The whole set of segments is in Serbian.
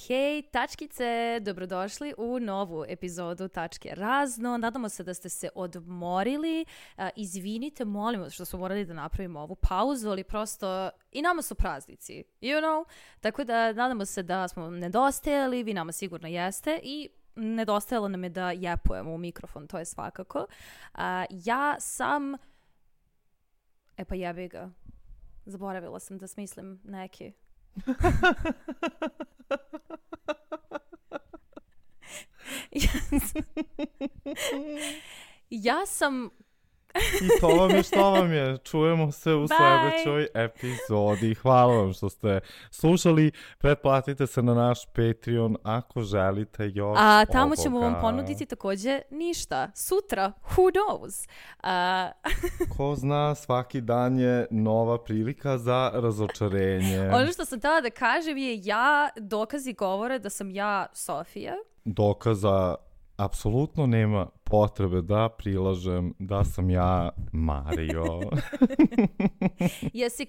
Hej, tačkice, dobrodošli u novu epizodu Tačke razno. Nadamo se da ste se odmorili. Izvinite, molimo što smo morali da napravimo ovu pauzu, ali prosto i nama su praznici, you know? Tako da nadamo se da smo nedostajali, vi nama sigurno jeste i nedostajalo nam je da jepujemo u mikrofon, to je svakako. Ja sam... E pa jebi ga. Zaboravila sam da smislim neki... Ja sam... I to vam je što vam je. Čujemo se u sljedećoj epizodi. Hvala vam što ste slušali. Pretplatite se na naš Patreon ako želite još A tamo ćemo vam ponuditi također ništa. Sutra, who knows? Ko zna, svaki dan je nova prilika za razočarenje. Ono što sam htjela da kažem je dokazi govore da sam ja Sofija. Dokaza apsolutno nema potrebe da prilažem da sam ja Mario. Jesi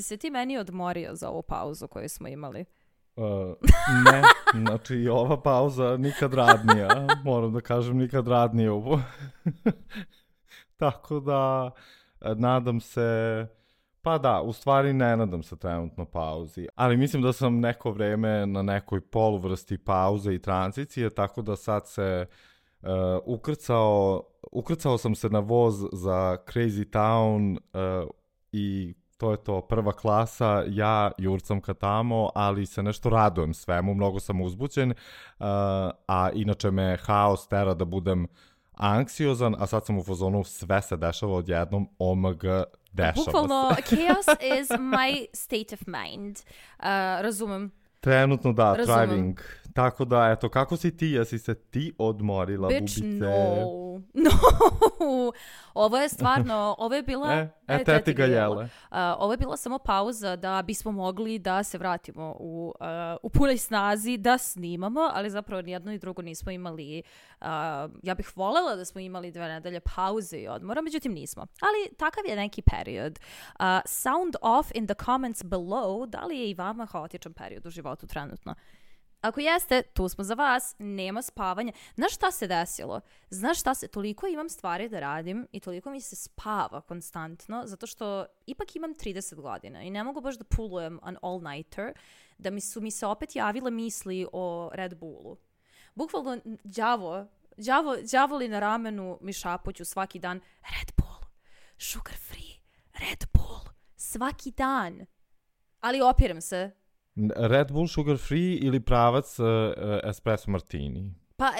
se ti meni odmorio za ovu pauzu koju smo imali? Ne, znači i ova pauza nikad radnija. Moram da kažem nikad radnije ovo. Tako da nadam se... Pa da, u stvari ne nadam se trenutno pauzi, ali mislim da sam neko vreme na nekoj poluvrsti pauze i tranzicije, tako da sad se ukrcao sam se na voz za Crazy Town i to je to, prva klasa, ja jurcam ka tamo, ali se nešto radujem svemu, mnogo sam uzbuđen, a inače me haos tera da budem anksiozan, a sad sam u fazonu sve se dešava odjednom, omg, dešava Bukvalno, se. chaos is my state of mind. Razumem. Trenutno da, thriving. Tako da, eto, kako si ti? Jesi se ti odmorila, Bitch, bubice? no. Ovo je stvarno, ovo je bila... Teti ga jele. Ovo je bila samo pauza da bismo mogli da se vratimo u punoj snazi, da snimamo, ali zapravo nijedno i drugo nismo imali... ja bih voljela da smo imali 2 nedelje pauze i odmora, međutim nismo. Ali takav je neki period. Sound off in the comments below, da li je i vama haotičan period u životu trenutno? Ako jeste, tu smo za vas, nema spavanja. Znaš šta se desilo? Toliko imam stvari da radim i toliko mi se spava konstantno, zato što ipak imam 30 godina i ne mogu baš da pulujem an all-nighter, da mi se opet javile misli o Red Bullu. Bukvalno, đavoli na ramenu mi šapuću svaki dan, Red Bull, sugar free, Red Bull, svaki dan. Ali opirem se. Red Bull sugar free ili pravac espresso martini? Pa,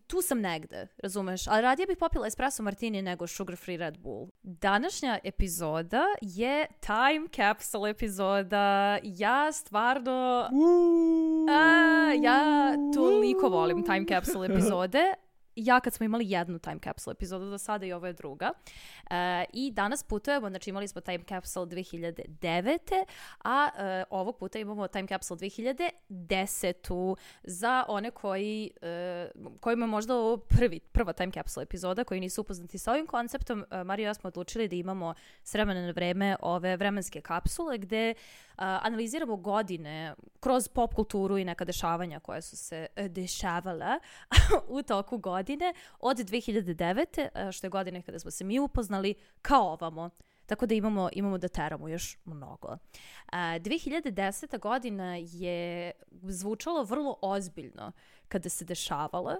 tu sam negde, razumeš? Ali radije bih popila espresso martini nego sugar free Red Bull. Današnja epizoda je time capsule epizoda. Ja stvarno... ja toliko volim time capsule epizode. Ja kad smo imali jednu time capsule epizodu do sada i ovo je druga. I danas putujemo, znači imali smo time capsule 2009. A ovog puta imamo time capsule 2010. Za one kojima možda ovo prva time capsule epizoda koji nisu upoznati sa ovim konceptom. Mario i ja smo odlučili da imamo s vremena na vreme ove vremenske kapsule gde analiziramo godine kroz pop kulturu i neka dešavanja koja su se dešavala u toku godine od 2009. što je godine kada smo se mi upoznali kao ovamo. Tako da imamo da teramo još mnogo. 2010. godina je zvučalo vrlo ozbiljno kada se dešavala.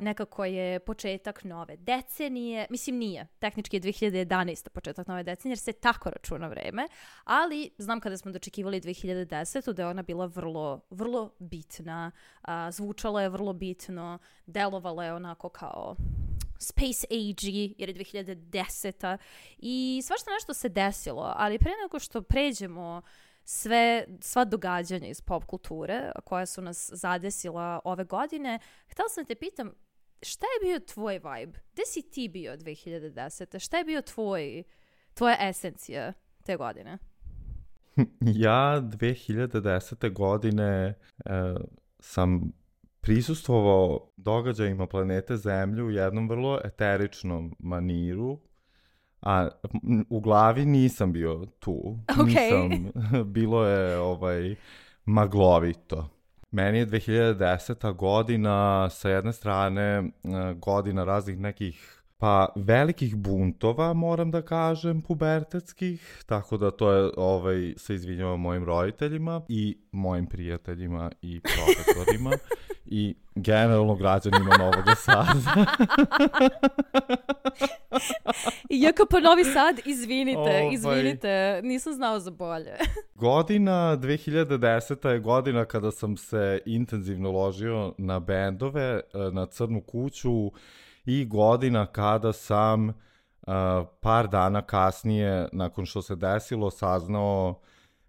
Nekako je početak nove decenije. Mislim nije. Tehnički je 2011. početak nove decenije jer se tako računa vreme. Ali znam kada smo dočekivali 2010. da je ona bila vrlo, vrlo bitna. Zvučala je vrlo bitno. Delovala je onako kao... Space Age jer je 2010. I svašta nešto se desilo, ali pre nego što pređemo sva događanja iz pop kulture koja su nas zadesila ove godine, htjela sam te pitam, šta je bio tvoj vibe? Gde si ti bio 2010? Šta je bio tvoja esencija te godine? Ja 2010. godine sam prisustvovao događajima planete Zemlju u jednom vrlo eteričnom maniru, a u glavi nisam bio tu. Okay. Bilo je maglovito. Meni je 2010. godina sa jedne strane godina raznih nekih pa velikih buntova, moram da kažem, pubertetskih, tako da to je, se izvinjavam mojim roditeljima i mojim prijateljima i profesorima i generalno građanima Novog Sada. Iako pa Novi Sad, izvinite, nisam znao za bolje. Godina 2010. je godina kada sam se intenzivno ložio na bendove, na Crnu kuću, i godina kada sam par dana kasnije, nakon što se desilo, saznao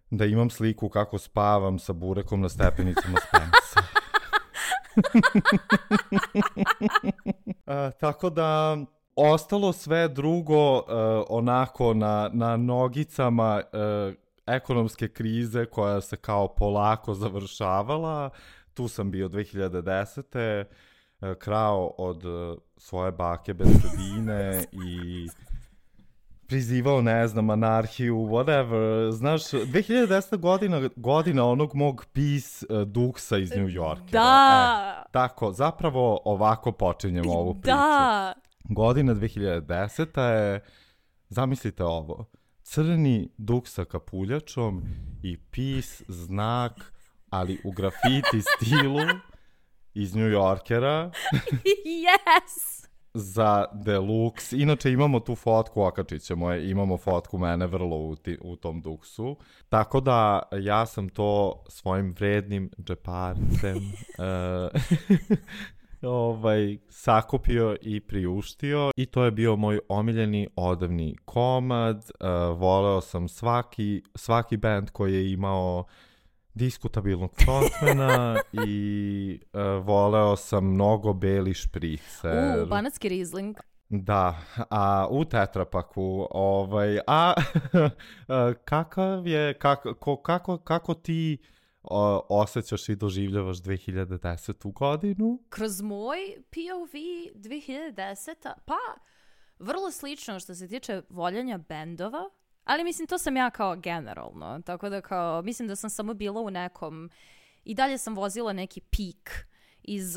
da imam sliku kako spavam sa burekom na stepenicama Spensa. Tako da, ostalo sve drugo onako na nogicama ekonomske krize koja se kao polako završavala. Tu sam bio 2010. Krao od svoje bake bez sredine i prizivao, ne znam, anarhiju, whatever. Znaš, 2010. godina onog mog peace duksa iz New Yorkera. Da! Tako, zapravo ovako počinjem ovu priču. Da! Godina 2010. je, zamislite ovo, crni duk sa kapuljačom i peace znak, ali u grafiti stilu iz New Yorkera. Yes! Za deluxe. Inače imamo tu fotku, okačit ćemo je, imamo fotku mene vrlo u tom duksu. Tako da ja sam to svojim vrednim džeparcem sakupio i priuštio i to je bio moj omiljeni odavni komad. Voleo sam svaki band koji je imao diskutabilnog frontmana i voleo sam mnogo beli špricer. Banatski Riesling. Da, a u tetrapaku, kako ti osjećaš i doživljavaš 2010. godinu? Kroz moj POV 2010. Pa, vrlo slično što se tiče voljenja bendova. Ali mislim, to sam ja kao generalno, tako da kao, mislim da sam samo bila u nekom, i dalje sam vozila neki pik iz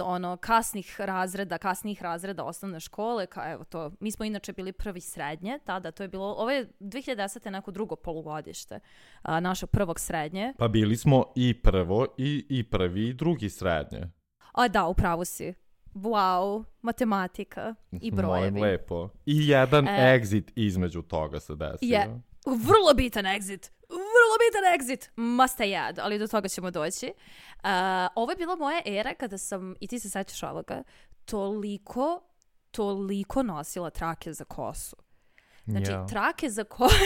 kasnijih razreda osnovne škole, kao evo to, mi smo inače bili prvi srednje, tada to je bilo, ovo je 2010. neko drugo polugodište našeg prvog srednje. Pa bili smo i prvo i prvi i drugi srednje. A da, upravo si. Wow, matematika i brojevi. Molim lepo. I jedan exit između toga se desio. Vrlo bitan exit, must I add, ali do toga ćemo doći. Ovo je bila moja era kada sam, i ti se sećaš ovoga, toliko nosila trake za kosu. Znači, trake za kosu...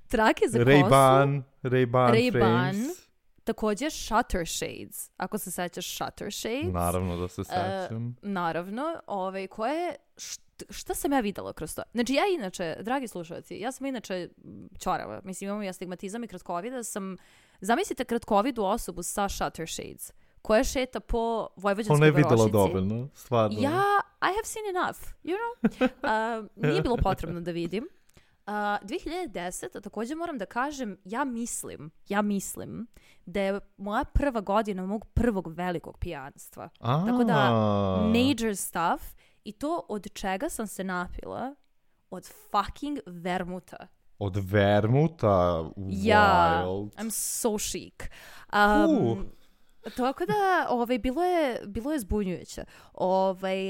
trake za kosu... Ray-Ban, također Shutter Shades, ako se sećaš Shutter Shades. Naravno da se sećam. Naravno, koje... Šta sam ja videla kroz to? Znači, ja inače, dragi slušalci, ja sam inače čorava. Mislim, imam i astigmatizam i kratkovida. Zamislite kratkovidu osobu sa Shutter Shades, koja šeta po Vojvođanskoj varošici. Ona je videla dovoljno, stvarno. Ja, I have seen enough, you know? Nije bilo potrebno da vidim. 2010. također moram da kažem, ja mislim da je moja prva godina mog prvog velikog pijanstva. Tako da, major stuff. I to od čega sam se napila? Od fucking vermuta. Od vermuta? Wild. I'm so chic. Tako da, bilo je zbunjujuće.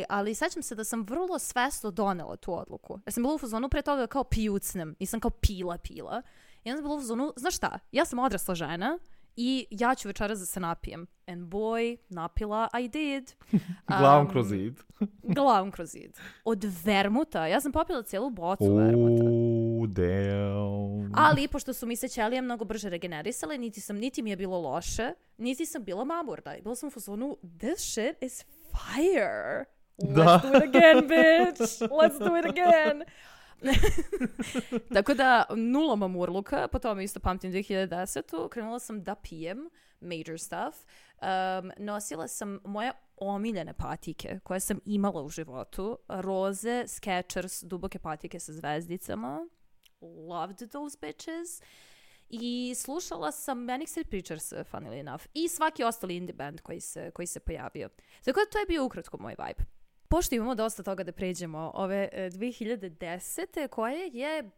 Ali sećam se da sam vrlo svesno donela tu odluku. Ja sam bila u fazonu pre toga kao pijucnem. Nisam kao pila. I onda sam bila u fazonu, znaš šta, ja sam odrasla žena i ja ću večeras da se napijem. And boy, napila I did. Glavom kroz zid. Glavom kroz zid. Od vermuta. Ja sam popila cijelu bocu vermuta. Damn. Ali, pošto su mi se ćelije mnogo brže regenerisale, niti mi je bilo loše, niti sam bila mamurda. Bila sam u fazonu, this shit is fire. Let's do it again, bitch. Let's do it again. Tako da, nula mamurluka, po tome isto pamtim 2010. Krenula sam da pijem major stuff. Nosila sam moje omiljene patike koje sam imala u životu. Roze, Skechers, duboke patike sa zvezdicama. Loved those bitches. i slušala sam Manic Street Preachers, funnily enough, i svaki ostali indie band koji se pojavio. Tako da to je bio ukratko moj vibe. Pošto imamo dosta toga da pređemo ove 2010. koje je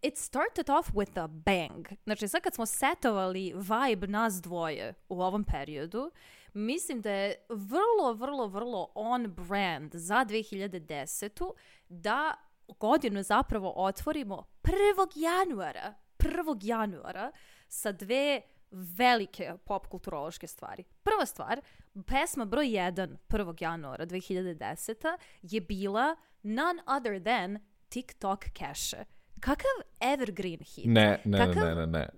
it started off with a bang. Znači sad kad smo setovali vibe nas dvoje u ovom periodu, mislim da je vrlo on brand za 2010. da godinu zapravo otvorimo 1. januara sa dve velike pop kulturološke stvari. Prva stvar, pesma broj 1 1. januara 2010. je bila none other than TikTok Cash. Kakav evergreen hit.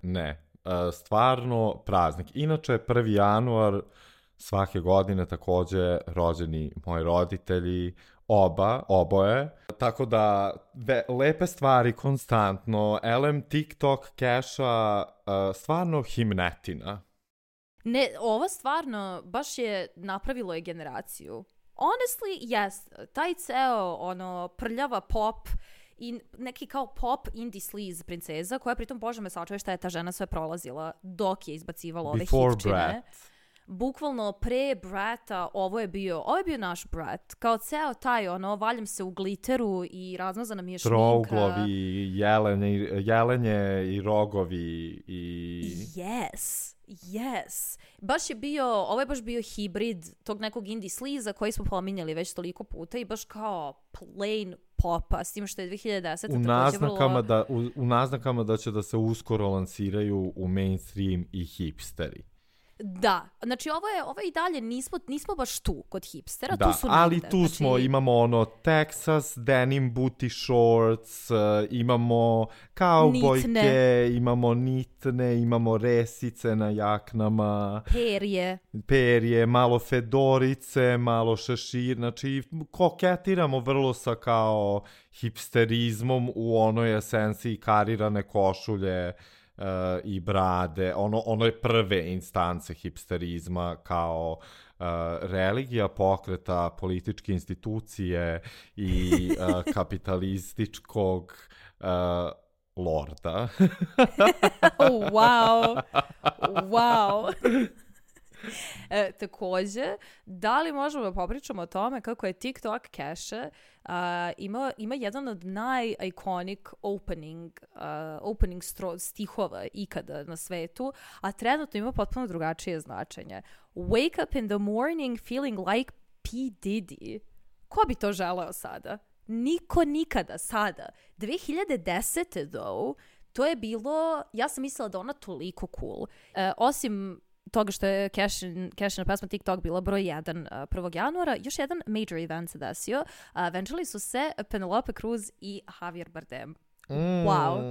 Ne. Stvarno praznik. Inače, 1. januar svake godine takođe rođeni moji roditelji, oboje. Tako da, lepe stvari konstantno. LM TikTok Cash-a, stvarno himnetina. Ne, ovo stvarno baš je napravilo je generaciju. Honestly, yes, taj ceo prljava pop i neki kao pop indie sleaze princeza, koja pritom, bože me sačuje šta je ta žena sve prolazila dok je izbacivala ove hitčine. Bukvalno pre Brata ovo je bio naš Brat. Kao ceo taj, valjam se u gliteru i razmazana mi je šminka. Trouglovi, jelenje i rogovi i... Yes. Ovo je baš bio hibrid tog nekog indie sleaza koji smo pominjali već toliko puta i baš kao plain popa, s tim što je 2010. U naznakama da će da se uskoro lansiraju u mainstream i hipsteri. Da, znači ovo je i dalje, nismo baš tu kod hipstera, da, tu su ali negde. Tu smo, imamo Texas, denim booty shorts, imamo kaubojke, imamo nitne, imamo resice na jaknama. Perje, malo fedorice, malo šešir, znači koketiramo vrlo sa kao hipsterizmom u onoj esenciji karirane košulje, i brade, ono je prve instance hipsterizma kao religija pokreta političke institucije i kapitalističkog lorda. Wow. Takođe, da li možemo da popričamo o tome kako je TikTok Cash ima jedan od naj-iconic opening stihova ikada na svetu, a trenutno ima potpuno drugačije značenje. Wake up in the morning feeling like P. Diddy. Ko bi to želeo sada? Niko nikada sada. 2010. though, to je bilo, ja sam mislila da ona toliko cool. Osim toga što je Cashina pesma TikTok bila broj 1 1. januara, još jedan major event se desio. Venčali su se Penelope Cruz i Javier Bardem. Wow.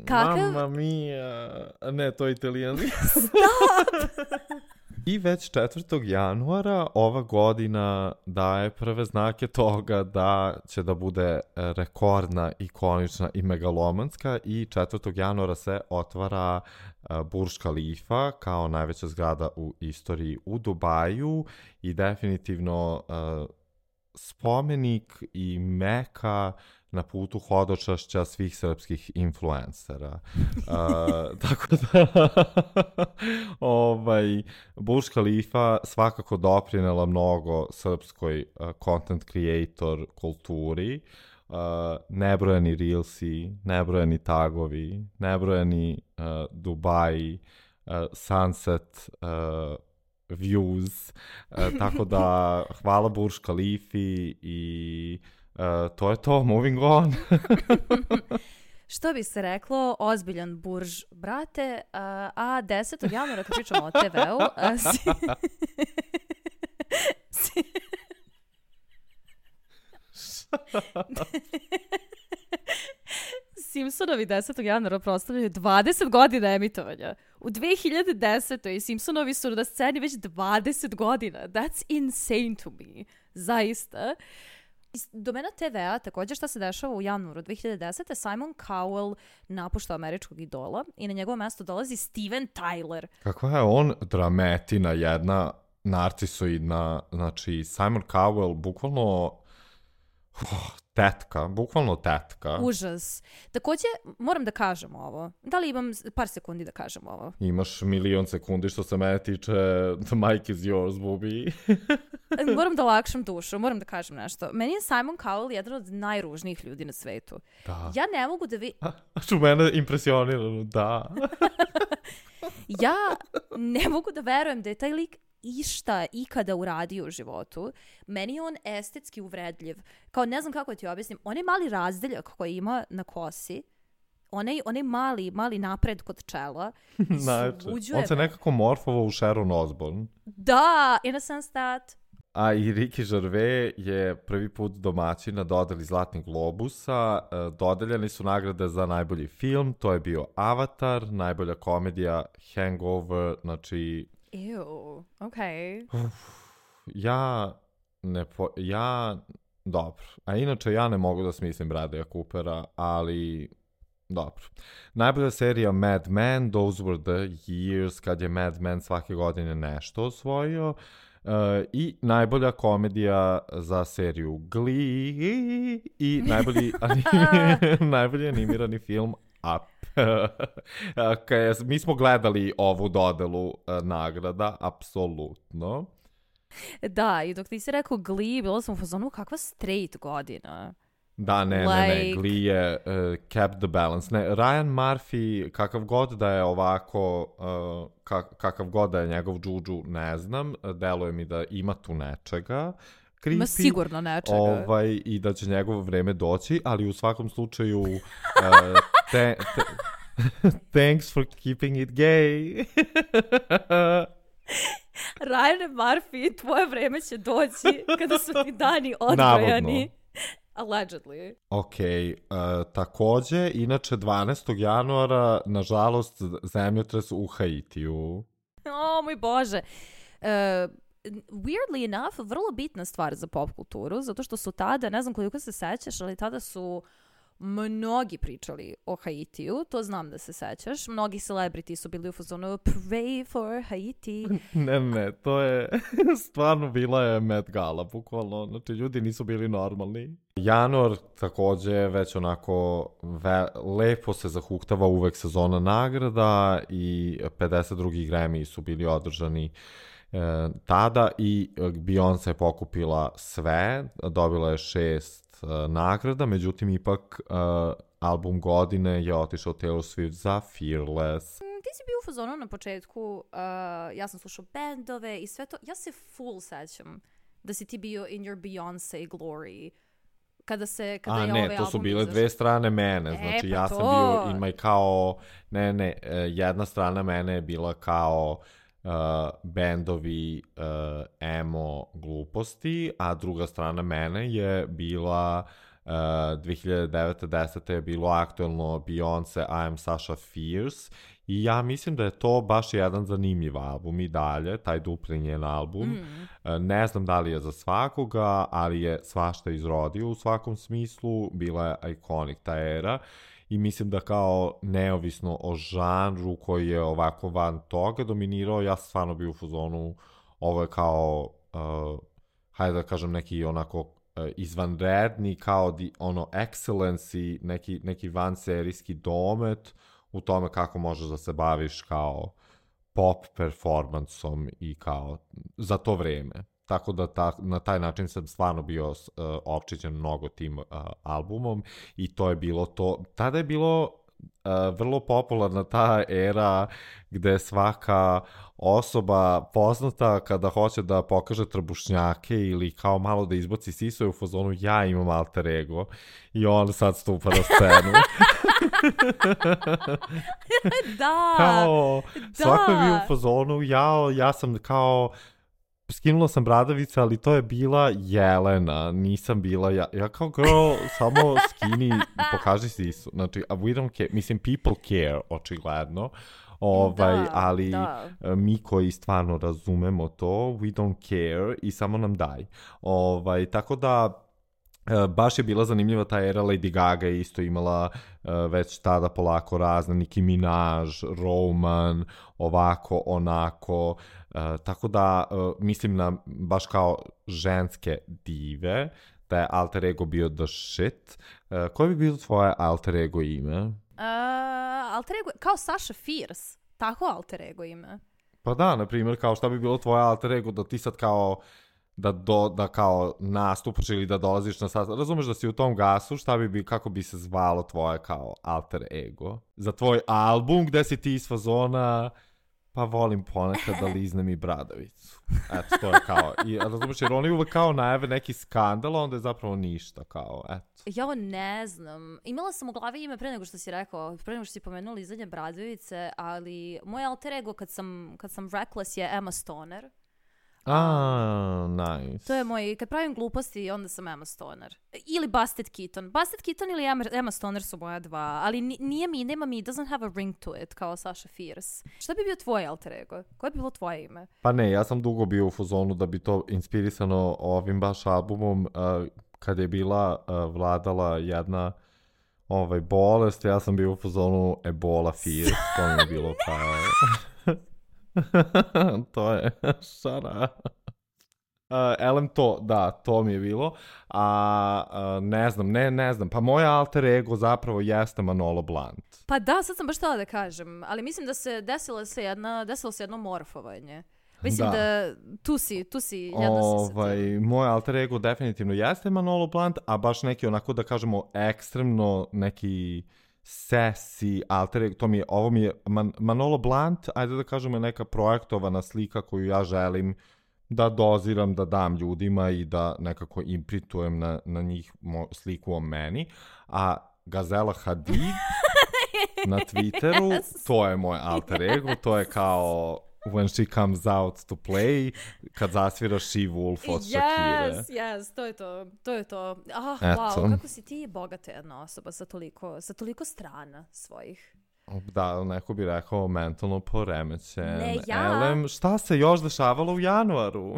Mamma mia. Ne, to je italijanski. Stop! I već 4. januara ova godina daje prve znake toga da će da bude rekordna, ikonična i megalomanska i 4. januara se otvara Burj Khalifa kao najveća zgrada u istoriji u Dubaju i definitivno spomenik i meka na putu hodočašća svih srpskih influencera. Tako da Burj Khalifa svakako doprinela mnogo srpskoj content creator kulturi. Nebrojani reelsi, nebrojani tagovi, nebrojani Dubai, sunset views. Tako da hvala Burj Khalifi i to je to, moving on. Što bi se reklo, ozbiljan burž, brate, a 10. januara kad pričamo o TV-u... Simpsonovi 10. januara proslavljaju 20 godina emitovanja. U 2010. Simpsonovi su na sceni već 20 godina. That's insane to me. Zaista. Iz domena TV-a, također šta se dešava u januaru 2010. Simon Cowell napušta Američkog idola i na njegovo mesto dolazi Steven Tyler. Kakva je on drametina jedna, narcisoidna, znači Simon Cowell bukvalno Tetka, bukvalno tetka. Užas. Takođe, moram da kažem ovo. Da li imam par sekundi da kažem ovo? Imaš milion sekundi što se mene tiče, the mic is yours, bubi. Moram da lakšam dušu, moram da kažem nešto. Meni je Simon Cowell jedan od najružnijih ljudi na svetu. Da. Ja ne mogu da Što mene impresionirano, da. Ja ne mogu da verujem da je taj lik išta ikada uradio u životu. Meni je on estetski uvredljiv. Kao ne znam kako ti objasnim. Onaj mali razdeljak koji ima na kosi, onaj mali napred kod čela, on se nekako morfovao u Sharon Osbourne. Da, in a sense that. A i Ricky Gervais je prvi put domaćin na dodeli Zlatnih globusa. Dodeljeni su nagrade za najbolji film, to je bio Avatar, najbolja komedija Hangover, znači... Ew, okej. Dobro. A inače ja ne mogu da smislim Bradleya Coopera, ali... Dobro. Najbolja serija Mad Men, Those Were the Years, kad je Mad Men svake godine nešto osvojio. I najbolja komedija za seriju Glee i najbolji animirani film Up. Mi smo gledali ovu dodelu nagrada, apsolutno. Da, i dok ti si rekao Glee, bilo sam u fazonu kakva straight godina. Da, ne, Glee je kept the balance. Ne, Ryan Murphy, kakav god da je ovako, kakav god da je njegov džudžu, ne znam, deluje mi da ima tu nečega. Creepy, ima sigurno nečega. I da će njegovo vreme doći, ali u svakom slučaju thanks for keeping it gay. Ryan Murphy, tvoje vreme će doći kada su ti dani odbrojani. Navodno. Allegedly. Ok, takođe, inače 12. januara, nažalost, zemljotres u Haitiju. O, moj Bože. Weirdly enough, vrlo bitna stvar za pop kulturu, zato što su tada, ne znam koliko se sećaš, ali tada su mnogi pričali o Haitiju, to znam da se sećaš. Mnogi celebrity su bili u fazonu pray for Haiti. Ne, to je stvarno bila je Met Gala, bukvalno. Znači, ljudi nisu bili normalni. Januar takođe već onako lepo se zahuktava, uvek sezona nagrada i 52. Grammy su bili održani tada i Beyoncé je pokupila sve, dobila je 6 nagrada, međutim ipak album godine je otišao Taylor Swift za Fearless. Ti si bio u fazonu na početku, ja sam slušao bendove i sve to, ja se full sećam da si ti bio in your Beyoncé glory. Kada je ovaj album to su bile dve strane mene, znači ja sam bio in my kao, jedna strana mene je bila kao bendovi emo gluposti, a druga strana mene je bila 2009-10 je bilo aktuelno Beyoncé I Am Sasha Fierce i ja mislim da je to baš jedan zanimljiv album i dalje, taj dupli njen album. Ne znam da li je za svakoga, ali je svašta izrodio u svakom smislu, bila je iconic ta era. I mislim da kao neovisno o žanru koji je ovako van toga dominirao, ja sam stvarno bio u fazonu, ovo je kao, hajde da kažem neki onako izvanredni, kao excellency, neki vanserijski domet u tome kako možeš da se baviš kao pop performansom i kao za to vreme. Tako da na taj način sam stvarno bio opčićen mnogo tim albumom i to je bilo to. Tada je bilo vrlo popularna ta era gde svaka osoba poznata kada hoće da pokaže trbušnjake ili kao malo da izbaci sisu je u fazonu ja imam alter ego i on sad stupa na scenu. Da! Kao, svako je bio u fazonu, ja sam kao skinula sam bradavice, ali to je bila Jelena, nisam bila ja kao girl, samo skini, pokaži sisu, znači, we don't care, mislim, people care, očigledno, ali mi koji stvarno razumemo to, we don't care i samo nam daj, tako da, baš je bila zanimljiva ta era. Lady Gaga je isto imala već tada polako razne, Nicki Minaj, Roman, ovako, onako, tako da mislim na baš kao ženske dive, da je alter ego bio the shit. Koje bi bilo tvoje alter ego ime? Alter ego, kao Sasha Fierce, tako alter ego ime. Pa da, na primjer, kao šta bi bilo tvoje alter ego da ti sad kao da kao nastupaš ili da dolaziš na sastav. Razumeš da si u tom gasu, kako bi se zvalo tvoje kao alter ego? Za tvoj album gde si ti iz fazona, pa volim ponekad da liznem i bradavicu. Eto, to je kao, razumeš, jer oni uvek kao najave neki skandal, onda je zapravo ništa, kao, eto. Ja ne znam. Imala sam u glavi ime pre nego što si rekao, pre nego što si pomenula lizanje bradavice, ali moj alter ego kad sam reckless je Emma Stoner. Nice. To je moj, kad pravim gluposti, onda sam Emma Stoner. Ili Busted Keaton. Busted Keaton ili Emma Stoner su moja dva, ali nema mi, doesn't have a ring to it, kao Sasha Fierce. Šta bi bio tvoj alter ego? Koje bi bilo tvoje ime? Pa ne, ja sam dugo bio u fazonu da bi to inspirisano ovim baš albumom, kad je bila vladala jedna bolest, ja sam bio u fazonu Ebola Fierce, to mi je bilo kao... to je šara. To mi je bilo. Ne znam. Pa moj alter ego zapravo jeste Manolo Blahnik. Pa da, sad sam baš htjela da kažem, ali mislim da se desilo se jedno morfovanje. Mislim da tu si jedno si moj alter ego definitivno jeste Manolo Blahnik, a baš neki onako da kažemo ekstremno neki sesi alter ego, ovo mi je Manolo Blahnik, ajde da kažemo je neka projektovana slika koju ja želim da doziram, da dam ljudima i da nekako imprintujem na njih sliku o meni, a Gazela Hadid na Twitteru, to je moj alter ego, to je kao when she comes out to play, kad zasvira She Wolf od Shakire. Yes, to je to. Wow, kako si ti bogata jedna osoba sa toliko strana svojih. Da, neko bi rekao mentalno poremećen. Ne, ja. Elem, šta se još dešavalo u januaru?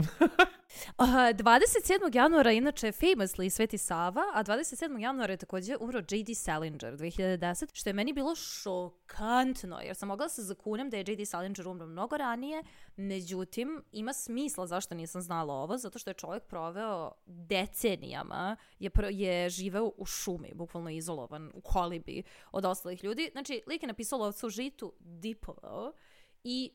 27. januara inače famously Sveti Sava, a 27. januara je također umro J.D. Salinger 2010, što je meni bilo šokantno, jer sam mogla se zakunem da je J.D. Salinger umro mnogo ranije, međutim, ima smisla zašto nisam znala ovo, zato što je čovjek proveo decenijama, je živeo u šumi, bukvalno izolovan, u kolibi od ostalih ljudi. Znači, lik je napisao Lovca u žitu, dipovao i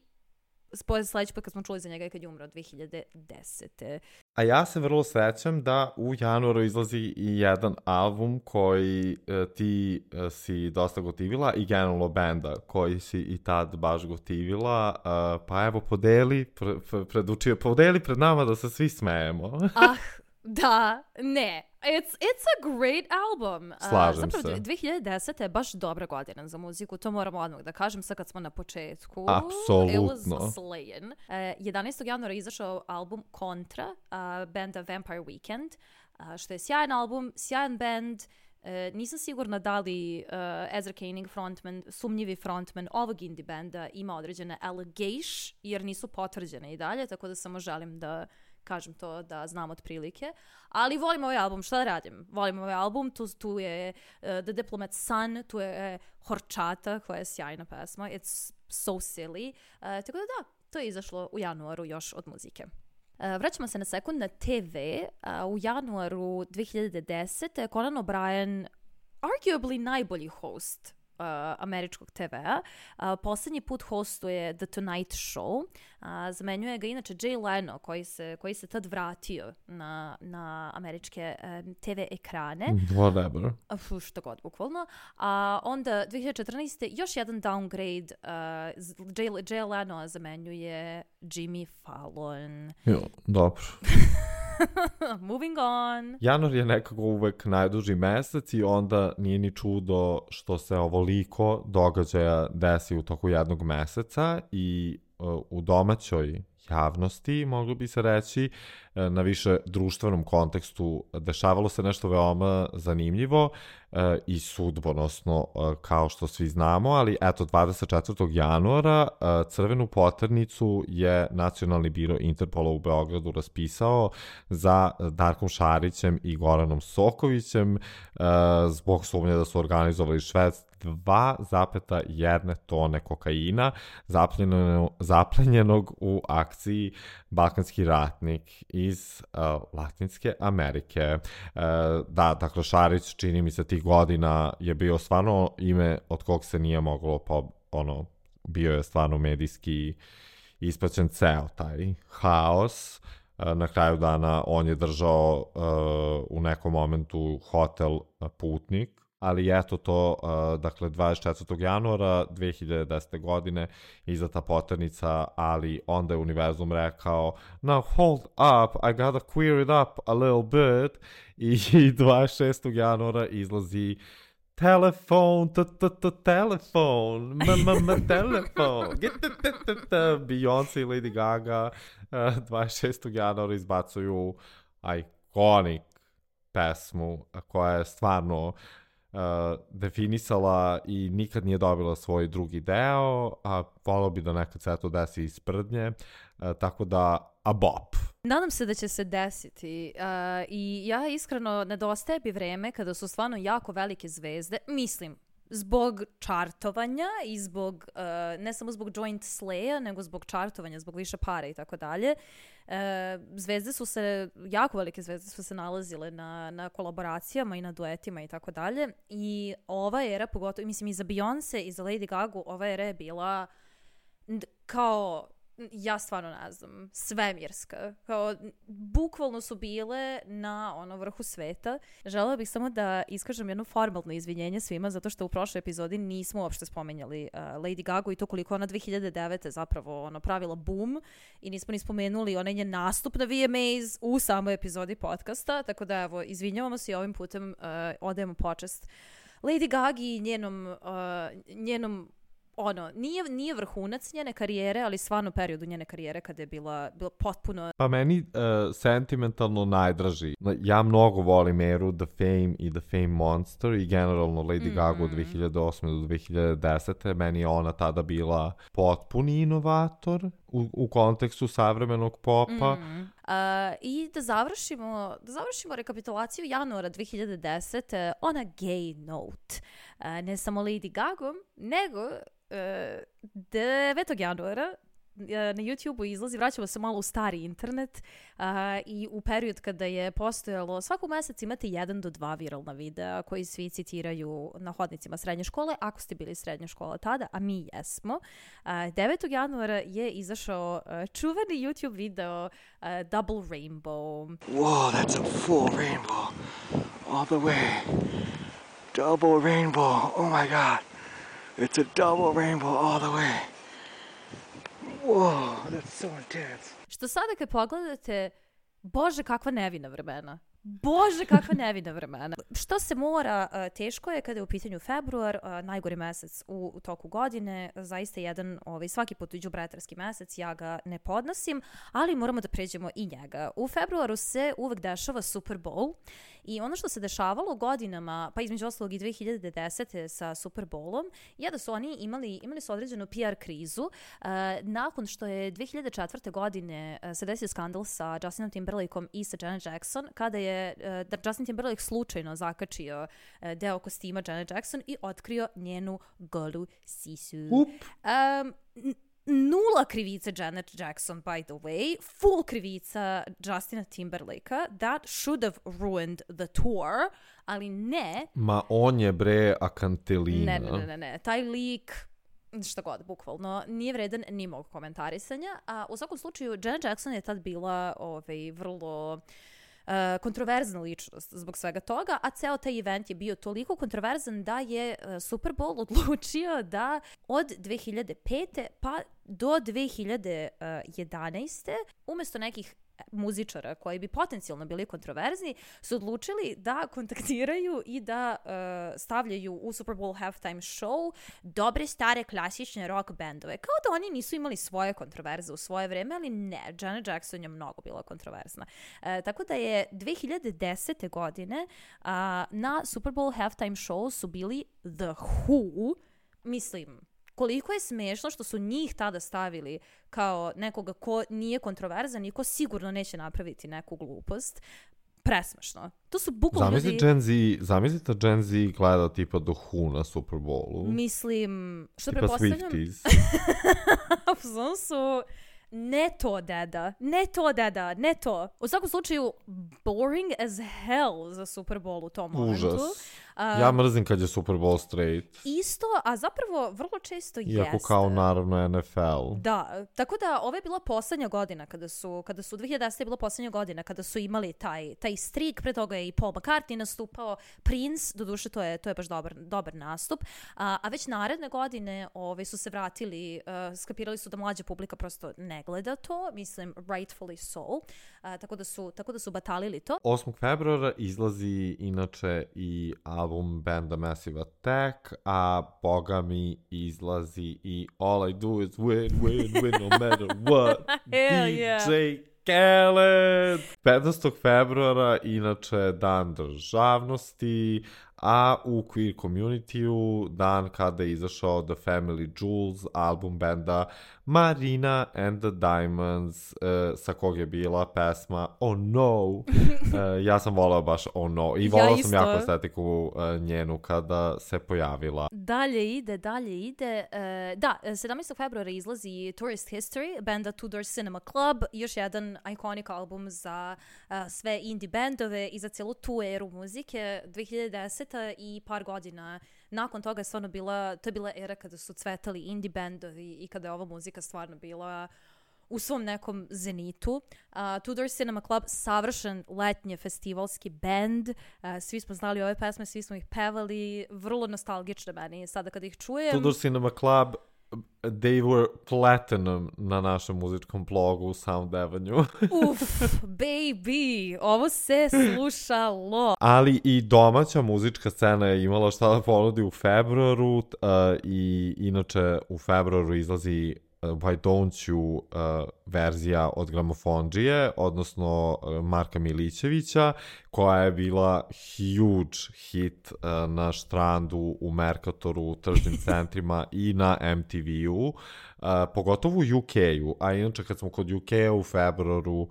sledeći put kad smo čuli za njega kad je umro 2010. A ja se vrlo sećam da u januaru izlazi i jedan album koji ti si dosta gotivila i generalno benda koji si i tad baš gotivila. Pa evo, podeli pred nama da se svi smejemo. Da, ne. It's a great album. Slažem zapravo, se. 2010. je baš dobra godina za muziku, to moramo odmah da kažem, sad kad smo na početku. Apsolutno. It was slayin. 11. januara je izašao album Kontra, benda Vampire Weekend, što je sjajan album, sjajan band. Nisam sigurna da li Ezra Koenig, sumnjivi frontman ovog indie benda, ima određene allegations, jer nisu potvrđene i dalje, tako da samo želim da kažem to, da znam otprilike. Ali volim ovaj album, šta da radim? Volim ovaj album, tu je The Diplomat's Son, tu je Horčata, koja je sjajna pesma. It's so silly. Tako da, to je izašlo u januaru još od muzike. Vraćamo se na sekund na TV. U januaru 2010. Conan O'Brien, arguably najbolji host američkog TV-a. Poslednji put hostuje The Tonight Show. Zamenjuje ga inače Jay Leno, koji se tad vratio na američke TV ekrane. Whatever. Što god, bukvalno. Onda 2014. još jedan downgrade. Jay Leno zamenjuje Jimmy Fallon. Jo, dobro. Moving on. Januar je nekako uvek najduži mesec i onda nije ni čudo što se ovoliko događaja desi u toku jednog meseca i u domaćoj javnosti, moglo bi se reći, na više društvenom kontekstu dešavalo se nešto veoma zanimljivo i sudbonosno, kao što svi znamo, ali eto, 24. januara crvenu poternicu je Nacionalni biro Interpola u Beogradu raspisao za Darkom Šarićem i Goranom Sokovićem zbog sumnje da su organizovali šverc 2,1 tone kokaina zapljenjenog u akciji akciji balkanski ratnik iz Latinske Amerike. Da, dakle, Šarić, čini mi se, tih godina je bio stvarno ime od kog se nije moglo, bio je stvarno medijski ispraćen ceo taj haos. Na kraju dana on je držao u nekom momentu hotel Putnik, ali eto to, dakle, 24. januara 2010. godine izdata poternica, ali onda je univerzum rekao, now hold up, I gotta queer it up a little bit, i 26. januara izlazi telefon, telefon, telefon, Beyoncé i Lady Gaga 26. januara izbacuju iconic pesmu koja je stvarno definisala i nikad nije dobila svoj drugi deo, a volao bi da nekad se to desi iz sprdnje, tako da a bop. Nadam se da će se desiti i ja iskreno nedostaje bi vreme kada su stvarno jako velike zvezde, mislim, zbog čartovanja i zbog, ne samo zbog joint slaya, nego zbog čartovanja, zbog više para i tako dalje. Zvezde su se, jako velike zvezde su se nalazile na kolaboracijama i na duetima i tako dalje. I ova era, pogotovo, mislim, i za Beyoncé i za Lady Gaga, ova era je bila kao, ja stvarno ne znam, svemirska. Kao, bukvalno su bile na vrhu sveta. Želela bih samo da iskažem jedno formalno izvinjenje svima, zato što u prošloj epizodi nismo uopšte spomenjali Lady Gaga i to koliko ona 2009. zapravo pravila boom i nismo ni spomenuli onaj njen nastup na VMAs u samoj epizodi podcasta, tako da evo, izvinjavamo se i ovim putem odajemo počest Lady Gaga i njenom nije vrhunac njene karijere, ali stvarno periodu njene karijere kada je bila potpuno... Pa meni sentimentalno najdraži. Ja mnogo volim eru The Fame i The Fame Monster i generalno Lady Gaga od 2008. do 2010. Meni je ona tada bila potpuni inovator u kontekstu savremenog popa. I da završimo rekapitulaciju januara 2010. on a gay note. Ne samo Lady Gaga, nego 9. januara na YouTube-u izlazi, vraćamo se malo u stari internet i u period kada je postojalo, svakog meseca imate 1 do 2 viralna videa koji svi citiraju na hodnicima srednje škole, ako ste bili srednja škola tada, a mi jesmo. 9. januara je izašao čuveni YouTube video Double Rainbow. Whoa, that's a full rainbow all the way. Double rainbow, oh my god. It's a double rainbow all the way. Whoa, that's so intense. Što sada kad pogledate, Bože, kakva nevina vremena. Bože, kakva nevina vremena. Što se mora, teško je kada je u pitanju februar, najgori mesec u toku godine, zaista jedan, svaki put đubretarski mesec, ja ga ne podnosim, ali moramo da pređemo i njega. U februaru se uvek dešava Super Bowl i ono što se dešavalo godinama, pa između ostalog i 2010. sa Super Bowlom, je da su oni imali su određenu PR krizu, nakon što je 2004. godine se desio skandal sa Justinom Timberlakeom i sa Janet Jackson, kada je Justin Timberlake slučajno zakačio deo kostima Janet Jackson i otkrio njenu golu sisu. Nula krivica Janet Jackson, by the way. Full krivica Justina Timberlakea. That should have ruined the tour, ali ne. Ma on je akantelina. Ne. Taj lik, šta god, bukvalno, nije vredan ni mog komentarisanja. A u svakom slučaju, Janet Jackson je tad bila vrlo... kontroverzna ličnost zbog svega toga, a ceo taj event je bio toliko kontroverzan da je Super Bowl odlučio da od 2005. pa do 2011. umjesto nekih muzičara koji bi potencijalno bili kontroverzni, su odlučili da kontaktiraju i da stavljaju u Super Bowl halftime show dobre stare klasične rock bandove. Kao da oni nisu imali svoje kontroverze u svoje vreme, ali ne, Janet Jackson je mnogo bila kontroverzna. Tako da je 2010. godine na Super Bowl halftime show su bili The Who, mislim, koliko je smešno što su njih tada stavili kao nekoga ko nije kontroverzan i ko sigurno neće napraviti neku glupost. Presmešno. To su bukvalno ljudi... Zamislite Gen Z gleda tipa The Who na Super Bowlu. Mislim, što tipa prepostavljam... Swifties. su Ne to, deda. Ne to. U svakom slučaju, boring as hell za Super Bowl u tom momentu. Užas. Ja mrzim kad je Super Bowl straight. Isto, a zapravo vrlo često jeste. Iako kao naravno NFL. Da, tako da ovo je bila poslednja godina kada su 2010. je bila poslednja godina kada su imali taj streak, pre toga je i Paul McCartney nastupao, Prince, doduše to je baš dobar nastup, a već naredne godine su se vratili, skapirali su da mlađa publika prosto ne gleda to, mislim rightfully so, tako da su batalili to. 8. februara izlazi inače i album benda Massive Attack, a boga mi izlazi i All I Do Is Win no matter what. DJ Khaled! 15. februara inače dan državnosti, a u queer community-u dan kada je izašao The Family Jewels, album benda Marina and the Diamonds, sa kog je bila pesma Oh No. Ja sam voleo baš Oh No i voleo sam jako estetiku njenu kada se pojavila. Dalje ide. Da, 17. februara izlazi Tourist History, benda Two Door Cinema Club, još jedan iconic album za sve indie bendove i za cijelu tu eru muzike. 2010. i par godina nakon toga je stvarno to je bila era kada su cvetali indie bendovi i kada je ova muzika stvarno bila u svom nekom zenitu. Two Door Cinema Club, savršen letnje festivalski bend. Svi smo znali ove pesme, svi smo ih pevali, vrlo nostalgične meni sada kada ih čujem. Two Door Cinema Club, they were platinum na našem muzičkom blogu Sound Avenue. Baby, ovo se slušalo. Ali i domaća muzička scena je imala šta da ponudi u februaru i inače u februaru izlazi Why Don't You verzija od Gramofondžije, odnosno Marka Milićevića, koja je bila huge hit na Štrandu, u Merkatoru, u tržnim centrima i na MTV-u, pogotovo u UK-u, a inače kad smo kod UK-a u februaru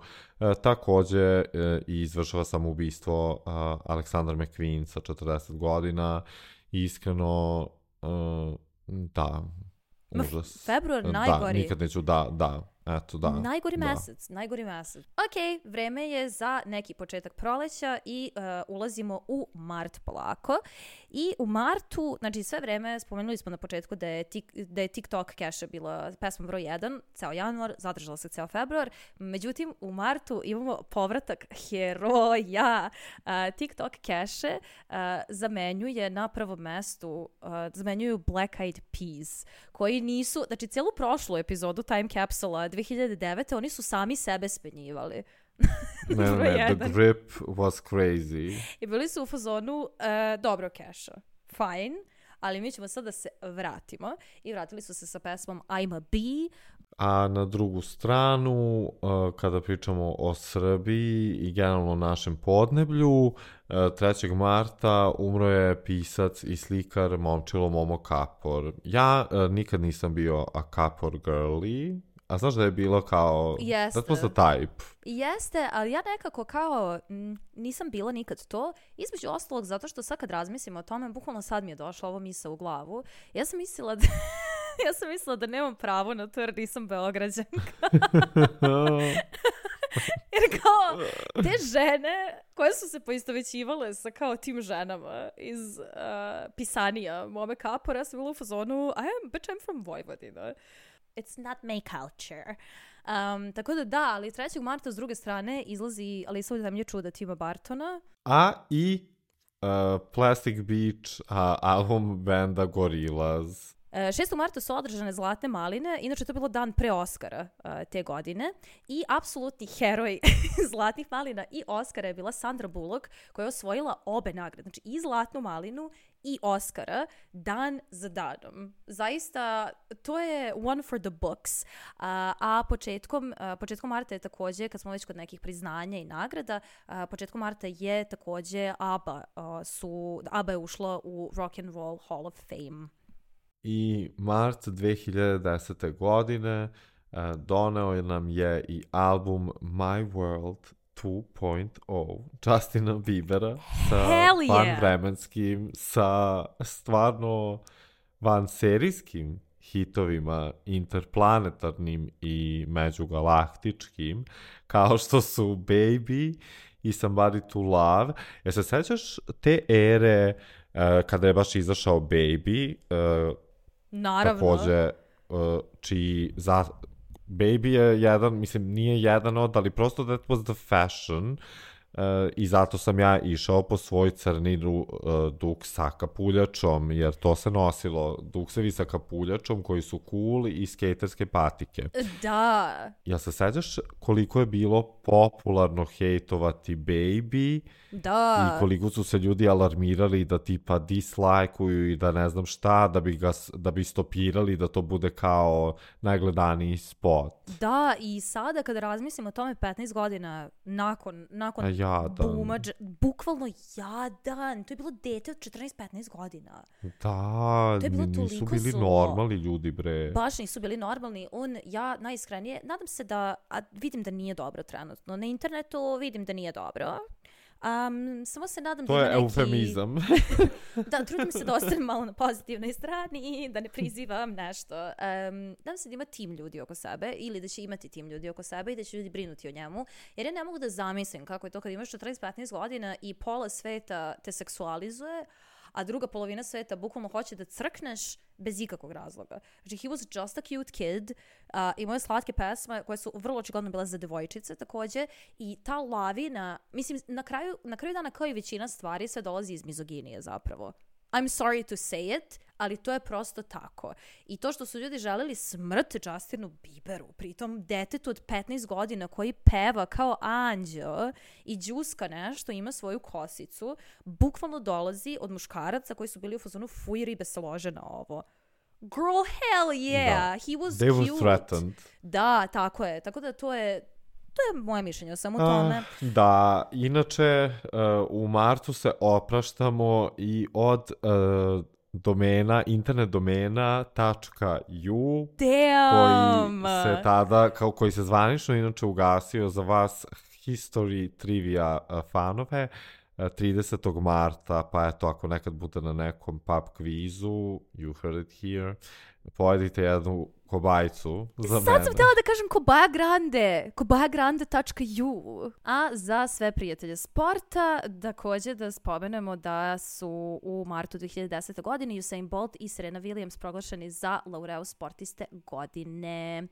takođe izvršava samoubistvo Aleksandar McQueen sa 40 godina. Iskreno, da, užas. Februar najgori. Da, nikad neću, eto, da. Najgori mesec. Ok, vreme je za neki početak proleća i ulazimo u mart polako. I u martu, znači sve vreme, spomenuli smo na početku da je TikTok Cache bila pesma broj 1, ceo januar, zadržala se ceo februar. Međutim, u martu imamo povratak heroja. TikTok Cache zamenjuje na prvom mestu, zamenjuju Black Eyed Peas, koji nisu, znači cijelu prošlu epizodu Time Capsule 2009. oni su sami sebe spenjivali. Ne, the grip was crazy. I bili su u fazonu, dobro Cache, fine, ali mi ćemo sad da se vratimo. I vratili su se sa pesmom I'm a Bee. A na drugu stranu, kada pričamo o Srbiji i generalno našem podneblju, 3. marta umro je pisac i slikar Momčilo Momo Kapor. Ja nikad nisam bio a Kapor girly, a znaš da je bilo kao... Jeste. That was the type. Jeste, ali ja nekako kao nisam bila nikad to. Između ostalog, zato što sad kad razmislim o tome, bukvalno sad mi je došla ova misao u glavu. Ja sam mislila da nemam pravo na to jer nisam Beograđanka. Jer kao te žene koje su se poistovećivale sa kao tim ženama iz pisanija Mome Kapora, ja sam bila u fazonu I'm from Vojvodina. It's not my culture. Tako da, ali 3. marta s druge strane izlazi Alisa u zemlji čuda Tima Bartona. A i Plastic Beach album benda Gorillaz. 6. marta su održane Zlatne maline, inače to je bilo dan pre Oscara te godine i apsolutni heroj Zlatnih malina i Oscara je bila Sandra Bullock koja je osvojila obe nagrade, znači i Zlatnu malinu i Oscara dan za danom. Zaista, to je one for the books. A početkom marta je takođe, kad smo već kod nekih priznanja i nagrada, početkom marta je takođe ABBA je ušla u Rock and Roll Hall of Fame. I mart 2010. godine doneo nam je i album My World 2.0 Justina Biebera sa vanvremenskim, sa stvarno vanserijskim hitovima interplanetarnim i međugalaktičkim, kao što su Baby i Somebody to Love. Se sećaš te ere kada je baš izašao Baby? Naravno. Takođe, čiji... Baby je jedan, mislim, nije jedan od, ali prosto that was the fashion, i zato sam ja išao po svoj crni duk sa kapuljačom, jer to se nosilo, duksevi sa kapuljačom koji su cool i skaterske patike. Da. Ja se sećaš koliko je bilo popularno hejtovati Baby, da, i koliko su se ljudi alarmirali da tipa dislajkuju i da ne znam šta, da bi stopirali da to bude kao najgledaniji spot. Da, i sada kada razmislim o tome 15 godina nakon booma, bukvalno jadan, to je bilo dete od 14-15 godina. Da, nisu bili normalni ljudi, bre. Baš nisu bili normalni. Ja najiskrenije, nadam se da, vidim da nije dobro trenutno. Na internetu vidim da nije dobro. Samo se nadam to da je eufemizam. Da, trudim se da ostanem malo na pozitivnoj strani i da ne prizivam nešto. Nadam se da ima tim ljudi oko sebe ili da će imati tim ljudi oko sebe i da će ljudi brinuti o njemu. Jer ja ne mogu da zamislim kako je to kad imaš 14-15 godina i pola sveta te seksualizuje, a druga polovina sveta bukvalno hoće da crkneš bez ikakvog razloga. Znači, he was just a cute kid, imao je slatke pesme koje su vrlo očigledno bile za devojčice takođe, i ta lavina, mislim, na kraju dana kao i većina stvari sve dolazi iz mizoginije zapravo. I'm sorry to say it, ali to je prosto tako. I to što su ljudi želeli smrt Justinu Bieberu, pritom detetu od 15 godina koji peva kao anđeo i đuska nešto, ima svoju kosicu, bukvalno dolazi od muškaraca koji su bili u fazonu fuj, ribe se lože na ovo. Girl, hell yeah! He was They cute. were threatened. Da, tako je. Tako da to je moje mišljenje o svemu tome. Da, inače u martu se opraštamo i od domena, internet domena .u koji se zvanično inače ugasio za vas history trivia fanove 30. marta, pa eto, ako nekad bude na nekom pub kvizu, you heard it here, pojedite jednu kobajcu za mene. Sad sam htjela da kažem kobajagrande.u. A za sve prijatelje sporta, također da spomenemo da su u martu 2010. godine Usain Bolt i Serena Williams proglašeni za laureus sportiste godine.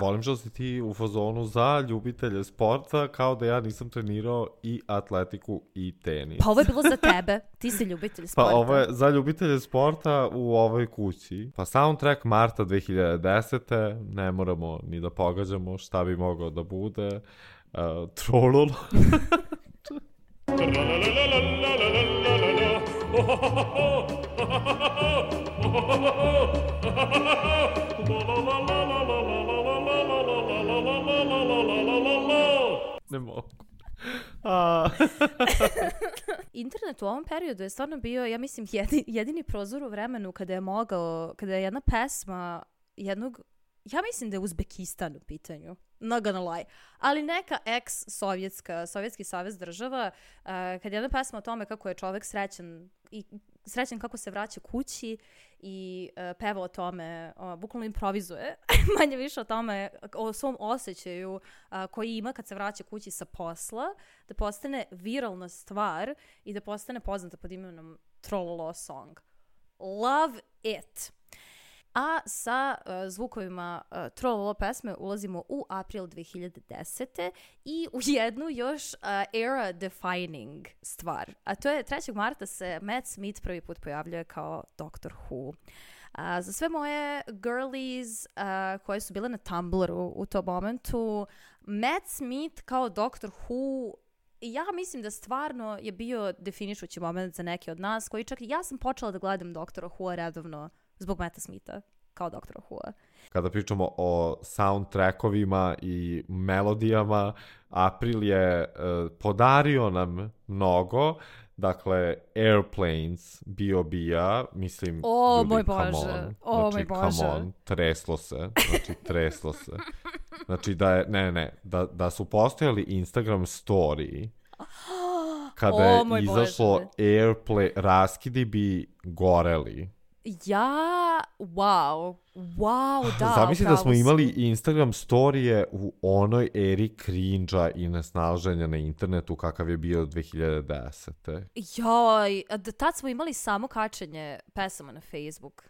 Volim što si ti u fazonu za ljubitelje sporta, kao da ja nisam trenirao i atletiku i tenis. Pa ovo je bilo za tebe, ti si ljubitelj sporta. Pa ovo je za ljubitelje sporta u ovoj kući. Pa soundtrack marta 2010. Ne moramo ni da pogađamo šta bi mogao da bude. Trololo. Ne mogu. Internet u ovom periodu je stvarno bio, ja mislim, jedini prozor u vremenu kada je jedna pesma ja mislim da je Uzbekistan u pitanju, not gonna lie, ali neka Sovjetski savez država, kad je jedna pesma o tome kako je čovek srećan kako se vraća kući i peva o tome, bukvalno improvizuje, manje više o tome, o svom osjećaju koji ima kad se vraća kući sa posla, da postane viralna stvar i da postane poznata pod imenom Trololo song. Love it! A sa zvukovima Trololo pesme ulazimo u april 2010. i u jednu još era defining stvar. A to je 3. marta se Matt Smith prvi put pojavljuje kao Doctor Who. Za sve moje girlies koje su bile na Tumblru u tom momentu, Matt Smith kao Doctor Who, ja mislim da stvarno je bio definišući moment za neke od nas, koji čak i ja sam počela da gledam Doktora Who redovno zbog Matta Smitha kao Doktora Who. Kada pričamo o soundtrackovima i melodijama, April je podario nam mnogo. Dakle, Airplanes, B.O.B.-a, mislim, moj Bože, come on, treslo se. Znači, da su postojali Instagram story, kada je izašlo Airplane, raskidi bi goreli. Ja wow, da. Zamisli da smo upravo si. imali Instagram storije u onoj eri cringe-a i nesnalaženja na internetu kakav je bio 2010. Joj, tad smo imali samo kačenje pesama na Facebook,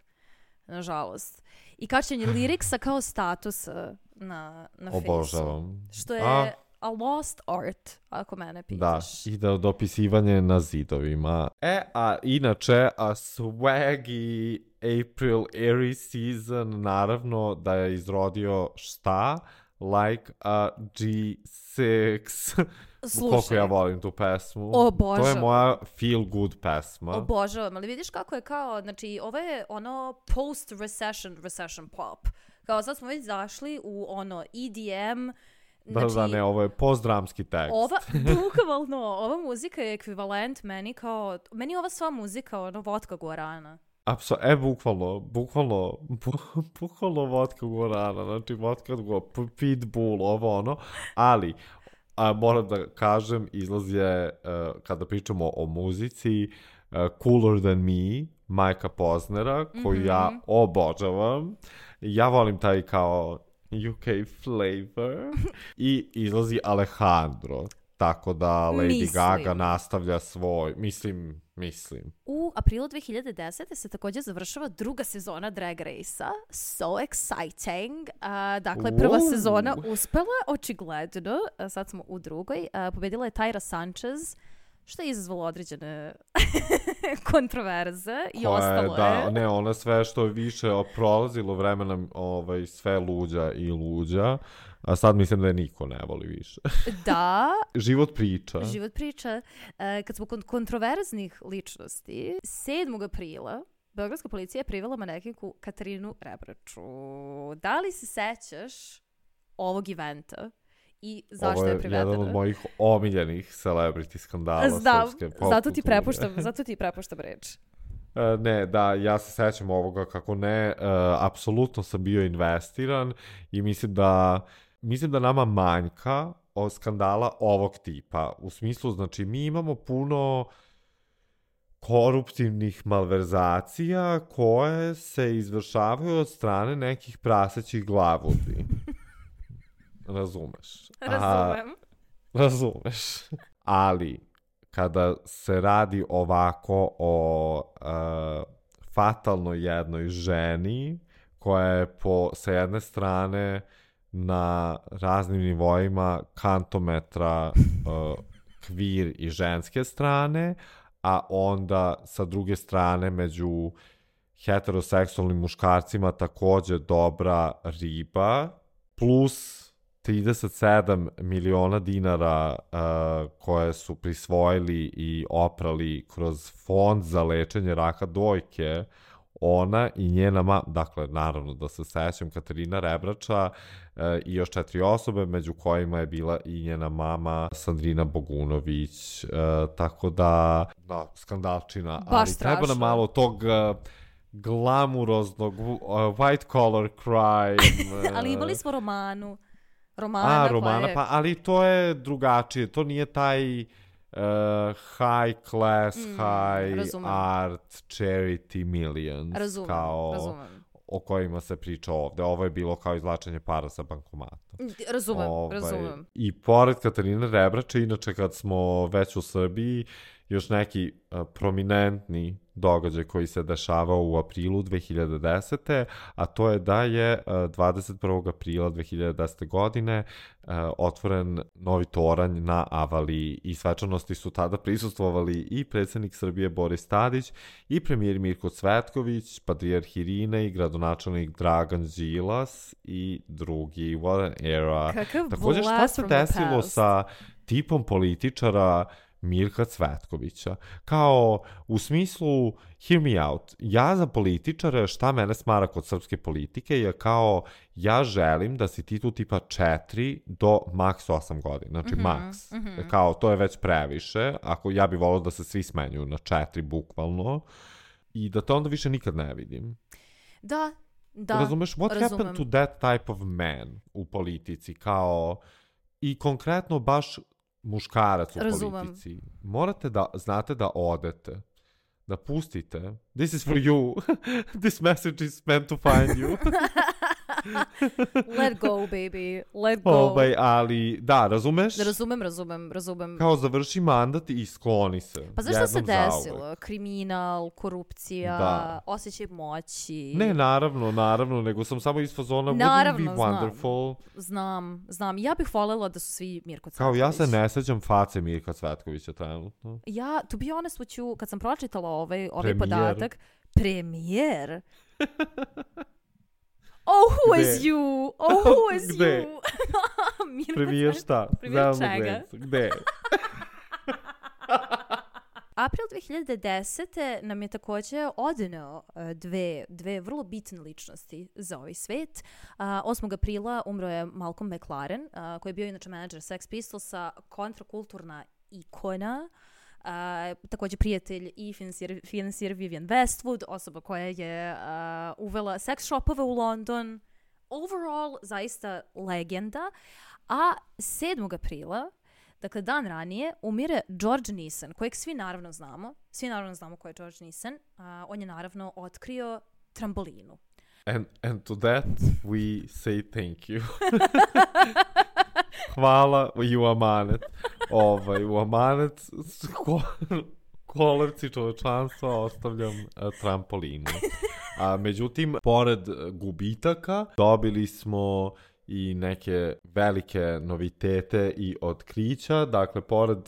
nažalost. I kačenje liriksa kao statusa na Facebooku. Obožavam. Što je a lost art, ako mene pitaš. Da, i da dopisivanje na zidovima. A inače, swaggy April Aries season, naravno da je izrodio šta? Like a G6. Slušaj. Koliko ja volim tu pesmu. Obožavam. To je moja feel good pesma. Obožavam, ali vidiš kako je kao, znači, ovo je ono post-recession pop. Kao sad smo već zašli u ono EDM, znači, Da, ne, ovo je postdramski tekst. Bukvalno, ova muzika je ekvivalent meni kao, meni je ova sva muzika, ono, vodka guarana. Bukvalno vodka guarana, znači vodka pitbull, ovo ono, ali moram da kažem, izlaz je, kada pričamo o muzici, Cooler Than Me, Majka Poznera, koju ja obožavam. Ja volim taj kao UK flavor i izlazi Alejandro, tako da Lady Gaga nastavlja svoj, mislim. U aprilu 2010. se također završava druga sezona Drag Race-a. So exciting. Dakle, prva sezona uspela, očigledno. Sad smo u drugoj. Pobedila je Tyra Sanchez, što je izazvalo određene kontroverze i ostalo je. Ne, ona sve što je više prolazilo vremena sve luđa i luđa, a sad mislim da je niko ne voli više. Da. Život priča. Kad smo kod kontroverznih ličnosti, 7. aprila beogradska policija je privela manekinku Katarinu Rebraču. Da li se sećaš ovog eventa? I zašto je privedena? Ovo je jedan od mojih omiljenih celebrity skandala srpske pop kulture. Zato ti prepuštam reč. Ne, da, ja se sećam ovoga, kako ne, apsolutno sam bio investiran i mislim da nama manjka od skandala ovog tipa. U smislu, znači, mi imamo puno koruptivnih malverzacija koje se izvršavaju od strane nekih prasećih glavudi. Razumeš? Razumeš. Ali, kada se radi ovako o fatalnoj jednoj ženi, koja je sa jedne strane na raznim nivoima kantometra kvir i ženske strane, a onda sa druge strane među heteroseksualnim muškarcima također dobra riba, plus 37 miliona dinara koje su prisvojili i oprali kroz fond za lečenje raka dojke, ona i njena dakle, naravno da se sećam, Katarina Rebrača i još 4 osobe, među kojima je bila i njena mama Sandrina Bogunović, tako da, skandalčina, ali strašno. Treba nam malo tog glamuroznog white collar crime. Ali imali smo Romana, pa ali to je drugačije, to nije taj high class, art, charity millions, razumem. O kojima se priča ovde. Ovo je bilo kao izvlačenje para sa bankomata. Razumem. I pored Katarine Rebrače, inače kad smo već u Srbiji, još neki prominentni događaj koji se dešavao u aprilu 2010. A to je da je 21. aprila 2010. godine otvoren novi toranj na Avaliji i svečanosti su tada prisustvovali i predsjednik Srbije Boris Tadić i premijer Mirko Cvetković, patrijarh Irine i gradonačelnik Dragan Đilas i drugi. What an era. Također, šta se desilo sa tipom političara Mirka Cvetkovića? Kao, u smislu, hear me out, ja za političare, šta mene smara kod srpske politike je kao, ja želim da si ti tu tipa 4 do maks 8 godina, znači maks. Kao, to je već previše, ako ja bih volio da se svi smenjuju na 4 bukvalno i da te onda više nikad ne vidim. Da. Razumeš, what happened to that type of man u politici, kao, i konkretno baš muškarac u politici. Morate da znate da odete. da pustite. This is for you. This message is meant to find you. Let go, baby. Let go. Ali, da, razumeš? Razumem. Kao završi mandat i skloni se. Pa zašto se desilo? Zauvek. Kriminal, korupcija, Da. osjećaj moći. Ne, naravno, nego sam samo iz fazona wouldn't be wonderful. Znam. Ja bih voljela da su svi Mirko Cvetković. Kao ja se ne sećam face Mirka Cvetkovića trenutno. Ja, to be honest with you, kad sam pročitala ovaj Premijer. podatak, premijer. Oh, who is you? Oh, who is Gde? you? Mirko Premijer šta? Premijer Zelenu čega? Grencu. Gde? April 2010. nam je također odneo dve vrlo bitne ličnosti za ovaj svet. 8. aprila umro je Malcolm McLaren, koji je bio inače menadžer Sex Pistolsa, kontrakulturna ikona, također prijatelj i financijer Vivienne Westwood, osoba koja je uvela sex shopove u London. Overall, zaista legenda. A 7. aprila, dakle dan ranije, umire George Nissen, kojeg svi naravno znamo. Svi naravno znamo ko je George Nissen. On je naravno otkrio trambolinu. And to that we say thank you. Hvala i u amanet. U amanet kolevci čovečanstva ostavljam trampolinu. Međutim, pored gubitaka dobili smo i neke velike novitete i otkrića. Dakle, pored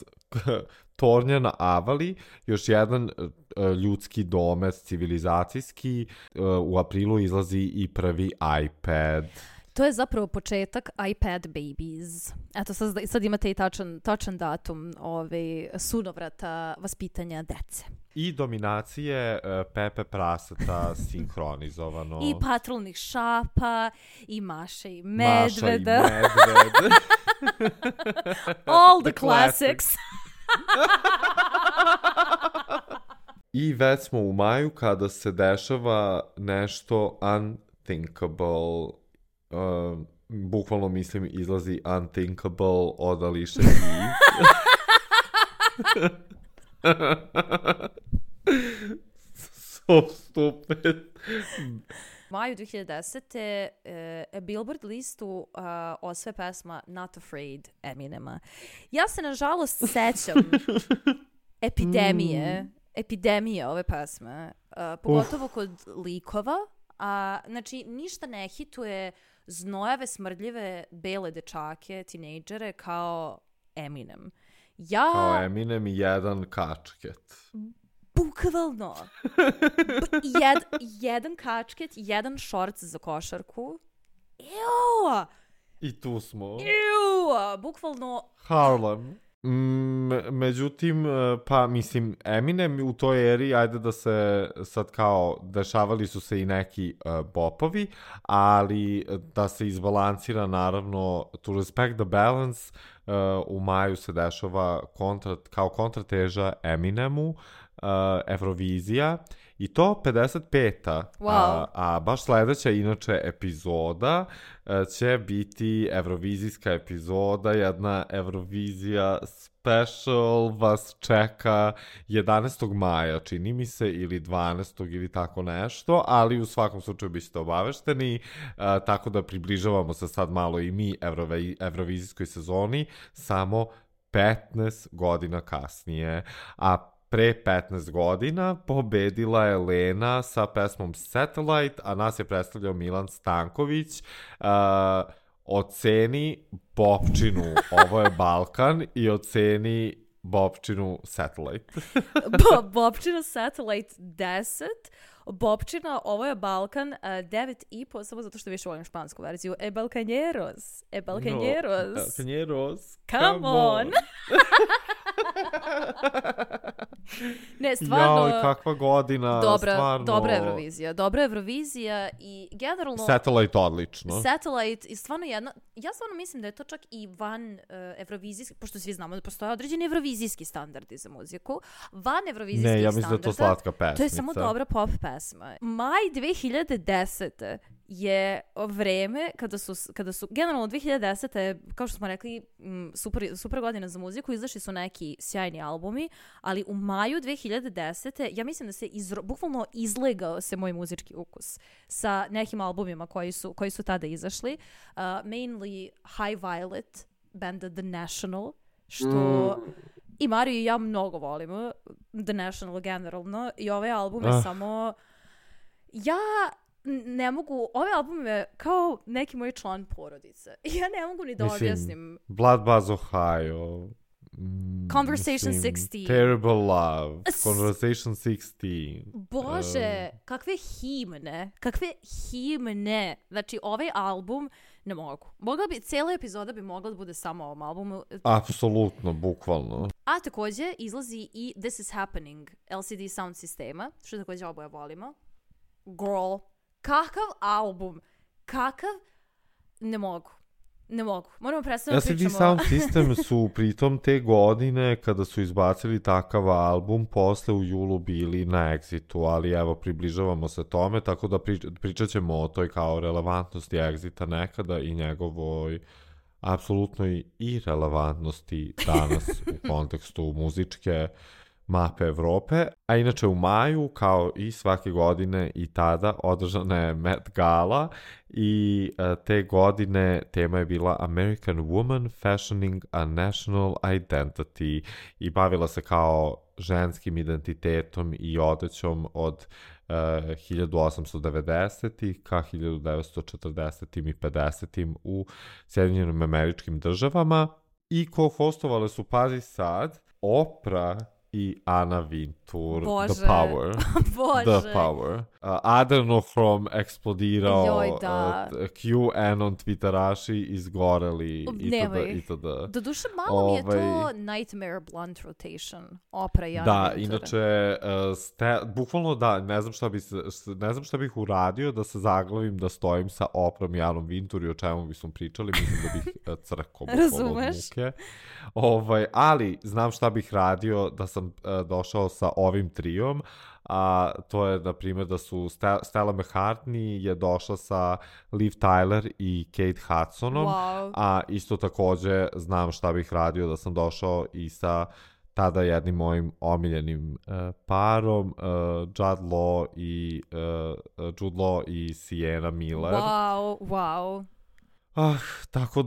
tornja na Avali, još jedan ljudski domet civilizacijski. U aprilu izlazi i prvi iPad. To je zapravo početak iPad babies. Eto, sad imate i tačan datum sunovrata vaspitanja dece. I dominacije Pepe Praseta sinkronizovano. I patrolnih šapa, i Maše i Medveda. Maša i Medved. All the classics. I već smo u maju kada se dešava nešto unthinkable. Bukvalno mislim izlazi Unthinkable od Alicia Keys. So stupid. Maju 2010. Billboard listu osve pesma Not Afraid Eminema. Ja se nažalost sećam epidemije ove pesme, pogotovo kod likova. Znači, ništa ne hituje znojave, smrdljive, bele dečake, tinejdžere kao Eminem. Kao Eminem i jedan kačket. Bukvalno. Jedan kačket, jedan šorc za košarku. Ew! I tu smo. Ew! Bukvalno. Harlem. Međutim, pa mislim, Eminem u toj eri, ajde da se sad kao, dešavali su se i neki bopovi, ali da se izbalansira naravno, to respect the balance, u maju se dešava kao kontrateža Eminemu, Eurovizija, i to 55. Wow. A baš sledeća inače epizoda će biti evrovizijska epizoda, jedna Eurovizija special vas čeka 11. maja, čini mi se, ili 12. ili tako nešto, ali u svakom slučaju biste obavešteni, tako da približavamo se sad malo i mi evrovizijskoj sezoni, samo 15 godina kasnije. A pre 15 godina pobedila je Lena sa pesmom Satellite, a nas je predstavljao Milan Stanković. Oceni Bobčinu, ovo je Balkan, i oceni Bobčinu Satellite. Bobčina Satellite 10, Bobčina, ovo je Balkan 9,5, samo zato što više volim špansku verziju. Balcaneros. Balcaneros. Come on. Ne, stvarno. Jao, kakva godina, stvarno. Dobra Eurovizija i generalno. Satellite odlično. Satellite i stvarno jedna, ja stvarno mislim da je to čak i van evrovizijski, pošto svi znamo da postoje određeni evrovizijski standardi za muziku, van evrovizijskih standarda. Ne, ja mislim da je to slatka pesmica. To je samo dobra pop pesma. Maj 2010. je vreme kada su generalno 2010. kao što smo rekli super godina za muziku, izašli su neki sjajni albumi, ali u maju 2010. ja mislim da se bukvalno izlegao se moj muzički ukus sa nekim albumima koji su tada izašli. Mainly High Violet, banda The National, što i Mario i ja mnogo volimo The National generalno, i ove albume samo ja ne mogu, ove albume kao neki moj član porodice. Ja ne mogu ni da objasnim. Bloodbath Ohio, Conversation 16. Terrible Love, Conversation 16. Bože, kakve himne. Znači, ovaj album ne mogu. Cijela epizoda bi mogla da bude samo o ovom albumu. Apsolutno, bukvalno. A također izlazi i This Is Happening, LCD Sound sistema, što također oboje volimo. Girl, kakav album, ne mogu. Moramo predstaviti pričamo. LCD Sound System su pritom te godine kada su izbacili takav album posle u julu bili na Exitu, ali evo približavamo se tome, tako da pričat ćemo o toj kao relevantnosti Exita nekada i njegovoj apsolutnoj irelevantnosti danas u kontekstu muzičke mape Evrope. A inače u maju, kao i svake godine i tada, održana je Met Gala i te godine tema je bila American Woman Fashioning a National Identity i bavila se kao ženskim identitetom i odećom od 1890. ka 1940. i 50. u Sjedinjenim Američkim Državama i ko-hostovale su, pazi sad, Oprah i Anna Wintour. Bože. The Power. Bože. The Power. Adrenohrom eksplodirao, QAnon twitteraši izgoreli itd. Doduše malo mi je to Nightmare Blunt Rotation. Oprah i Anna Wintour. Da, inače, bukvalno da, ne znam šta bih uradio da se zaglavim da stojim sa Oprahom i Annom Wintour i o čemu bismo pričali, mislim da bih crkao od muke. Ali znam šta bih radio da sam došao sa ovim trijom, a to je, na primjer, da su Stella McCartney je došla sa Liv Tyler i Kate Hudsonom, a isto također znam šta bih radio da sam došao i sa tada jednim mojim omiljenim parom, Jude Law i Sienna Miller. Wow. Tako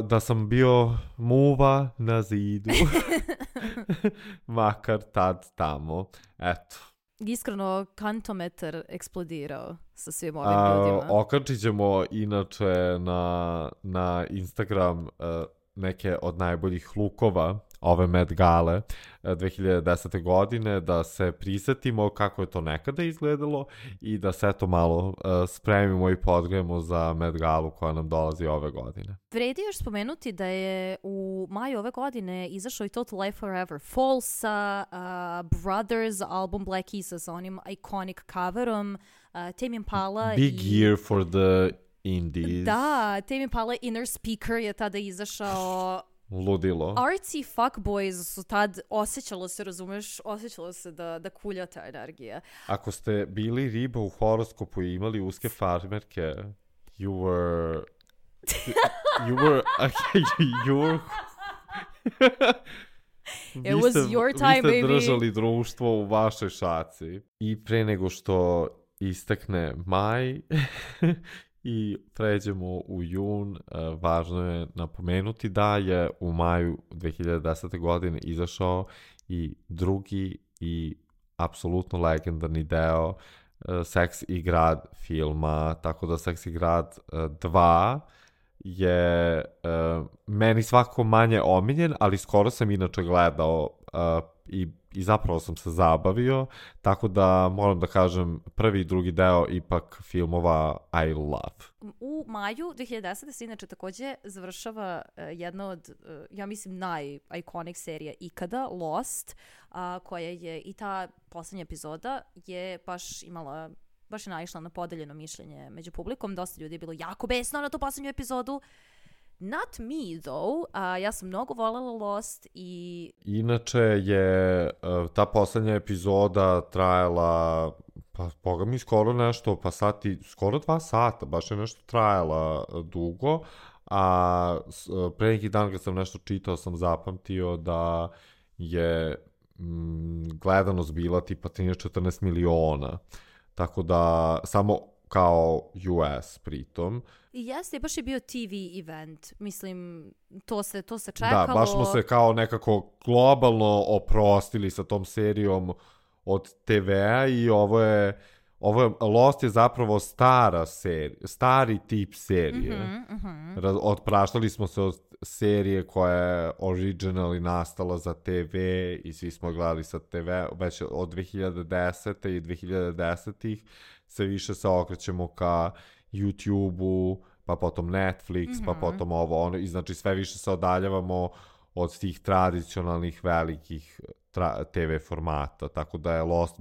da sam bio muva na zidu. Makar tad tamo. Eto. Iskreno, kantometar eksplodirao sa svim ovim ljudima. Okačit ćemo inače na Instagram neke od najboljih lukova ove Met Gale 2010. godine, da se prisetimo kako je to nekada izgledalo i da se eto malo spremimo i podgrejemo za Met Galu koja nam dolazi ove godine. Vredi još spomenuti da je u maju ove godine izašao i Total Life Forever Falsa, Brothers album Black Keys sa onim iconic coverom, Tame Impala Big year for the indies. Da, Tame Impala Inner Speaker je tada izašao. Ludilo. Artsy fuckboys su tad, osjećalo se da kulja ta energija. Ako ste bili riba u horoskopu i imali uske farmerke, you were It was your time, baby. Vi ste držali društvo u vašoj šaci. I pre nego što istekne maj i pređemo u jun, važno je napomenuti da je u maju 2010. godine izašao i drugi i apsolutno legendarni deo Seks i grad filma, tako da Seks i grad 2 je meni svakako manje omiljen, ali skoro sam inače gledao i zapravo sam se zabavio, tako da moram da kažem prvi i drugi deo ipak filmova I love. U maju 2010. se inače također završava jedna od, ja mislim, naj-iconic serija ikada, Lost, koja je i ta posljednja epizoda je baš je naišla na podeljeno mišljenje među publikom. Dosta ljudi je bilo jako besno na tu posljednju epizodu. Not me, though. Ja sam mnogo voljela Lost i... Inače je ta posljednja epizoda trajala Pa, boga mi skoro nešto, pa skoro 2 sata, baš je nešto trajala dugo, a pre neki dan kad sam nešto čitao sam zapamtio da je gledanost bila tipa 13-14 miliona, tako da samo kao US pritom. I jeste, baš je bio TV event. Mislim, to se čekalo. Da, baš smo se kao nekako globalno oprostili sa tom serijom od TV-a i ovo je Lost je zapravo stari tip serije. Otpraštali smo se od serije koja je originally nastala za TV i svi smo gledali sa TV već od 2010. i 2010-ih se više se okrećemo ka YouTube-u, pa potom Netflix, pa potom ovo, ono, i znači sve više se odaljavamo od tih tradicionalnih velikih TV formata, tako da je Lost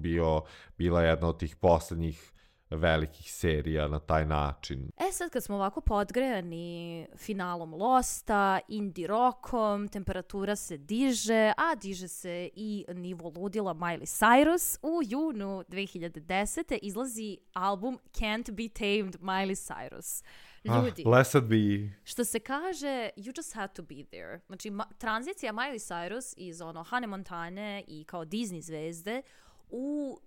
bila jedna od tih poslednjih velikih serija na taj način. Sad kad smo ovako podgrejani finalom Losta, indie rockom, temperatura se diže, a diže se i nivo ludila Miley Cyrus. U junu 2010. izlazi album Can't Be Tamed Miley Cyrus. Ljudi, blessed be. Što se kaže, you just had to be there. Znači, tranzicija Miley Cyrus iz Hannah Montane i kao Disney zvezde u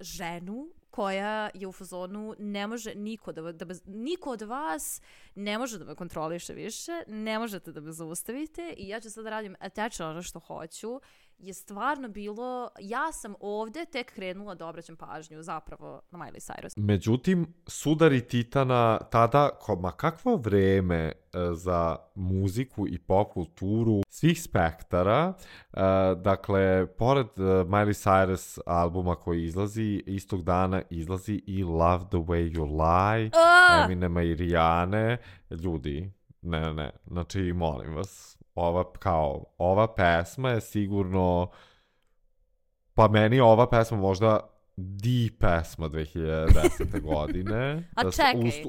ženu koja je u fazonu ne može niko od vas ne može da me kontroliše više, ne možete da me zaustavite i ja ću sad da radim tečno ono što hoću, je stvarno bilo, ja sam ovde tek krenula da obraćam pažnju zapravo na Miley Cyrus. Međutim, sudari Titana tada, kakvo vreme za muziku i pop kulturu svih spektara, dakle, pored Miley Cyrus albuma koji izlazi, istog dana izlazi i Love the Way You Lie, Eminema i Rihanne. Ljudi, ne, znači, molim vas, ova pesma je sigurno, pa meni je ova pesma možda pesma 2010. godine. A čekaj.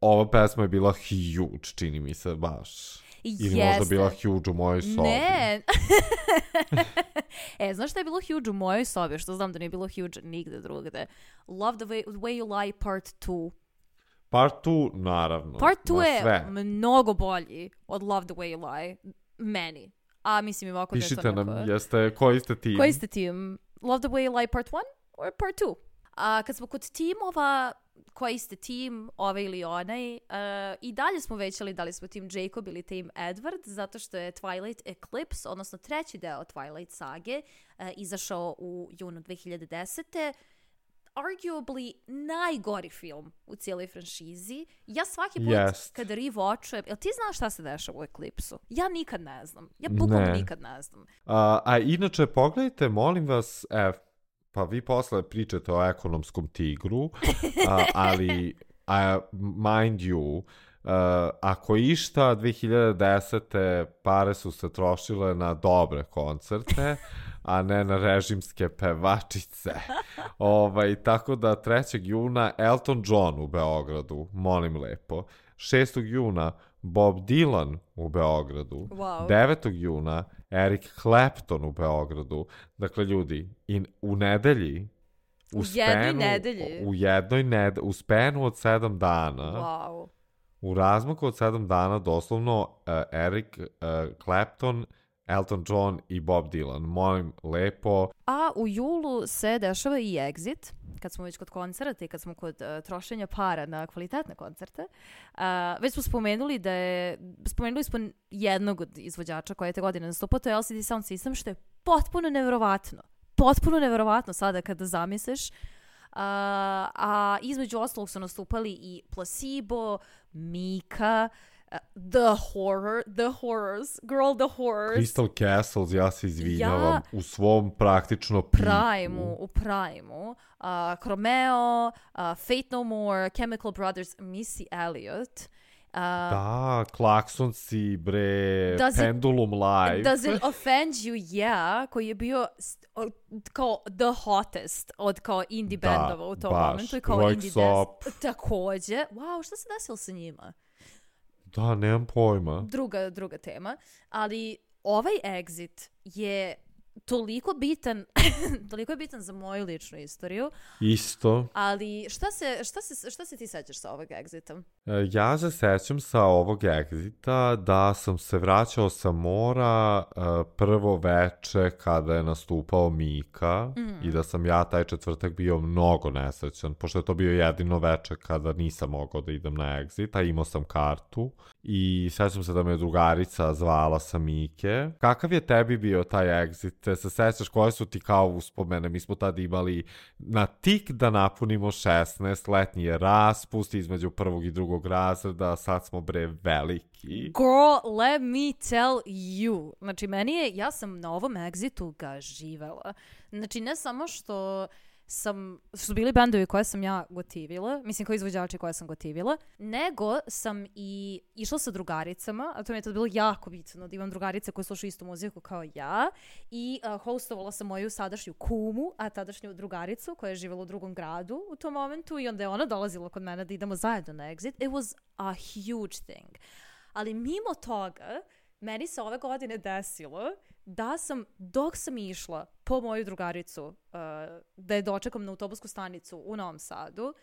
Ova pesma je bila huge, čini mi se baš. Ili možda bila huge u mojoj sobi. Ne. Znaš šta je bilo huge u mojoj sobi? Što znam da nije bilo huge nigde drugde. Love the way you lie part 2. Part 2, naravno. Part 2 je mnogo bolji od Love the way you lie. Meni. A mislim ovako da je to neko... Pišite nam, koji ste tim? Koji ste tim? Love the way you lie part 1 or part 2? Kad smo kod timova, koji ste tim, ovaj ili onaj, i dalje smo većali da li smo tim Jacob ili tim Edward, zato što je Twilight Eclipse, odnosno treći deo Twilight sage, izašao u junu 2010. Arguably najgori film u cijeloj franšizi. Ja svaki put kada rewatchujem, jel ti znaš šta se dešava u Eclipse-u? Ja nikad ne znam. Ja bukvalno nikad ne znam. A inače, pogledajte, molim vas, pa vi posle pričate o ekonomskom tigru, ali mind you, ako išta 2010. pare su se trošile na dobre koncerte, a ne na režimske pevačice. Tako da 3. juna Elton John u Beogradu, molim lepo. 6. juna Bob Dylan u Beogradu. Wow. 9. juna Eric Clapton u Beogradu. Dakle, ljudi, u nedelji, u spenu od 7 dana, wow. U razmaku od 7 dana doslovno Eric Clapton, Elton John i Bob Dylan. Molim lepo. A u julu se dešava i Exit, kad smo već kod koncerta i kad smo kod trošenja para na kvalitetne koncerte. Već smo spomenuli spomenuli smo jednog od izvođača koja je te godine nastupao, to je LCD Sound System, što je potpuno neverovatno. Potpuno neverovatno sada kada zamisliš. A između ostalog su nastupali i Placebo, Mika, The Horrors, Crystal Castles, ja se izvinjavam, u svom praktično u Primu, Chromeo, Fate No More, Chemical Brothers, Missy Elliott. Da, Klaxonsi, bre, Pendulum Live. Does it offend you? Yeah, koji je bio kao the hottest od kao indie bandova u tom momentu. Kao indie takođe. Wow, šta se desilo sa njima? Da, nemam pojma. Druga tema. Ali ovaj Exit je toliko je bitan za moju ličnu istoriju. Isto. Ali šta se ti sećaš sa ovog egzita? Ja se sećam sa ovog egzita da sam se vraćao sa mora prvo veče kada je nastupao Mika i da sam ja taj četvrtak bio mnogo nesrećan, pošto je to bio jedino veče kada nisam mogao da idem na egzit, a imao sam kartu i sećam se da me drugarica zvala sa Mike. Kakav je tebi bio taj egzit? Te se sećaš koje su ti kao uspomene? Mi smo tada imali na tik da napunimo 16, letnji je raspust između prvog i drugog razreda, sad smo veliki. Girl, let me tell you. Znači, ja sam na ovom egzitu ga živela. Znači, ne samo što su bili bendovi koje sam ja gotivila, mislim kao izvođači koje sam gotivila, nego sam i išla sa drugaricama, a to mi je tad bilo jako bitno da imam drugarice koje slušaju istu muziku kao ja, i hostovala sam moju sadašnju kumu, a tadašnju drugaricu koja je živjela u drugom gradu u tom momentu, i onda je ona dolazila kod mene da idemo zajedno na exit. It was a huge thing. Ali mimo toga, meni se ove godine desilo da sam, dok sam išla po moju drugaricu da je dočekam na autobusku stanicu u Novom Sadu,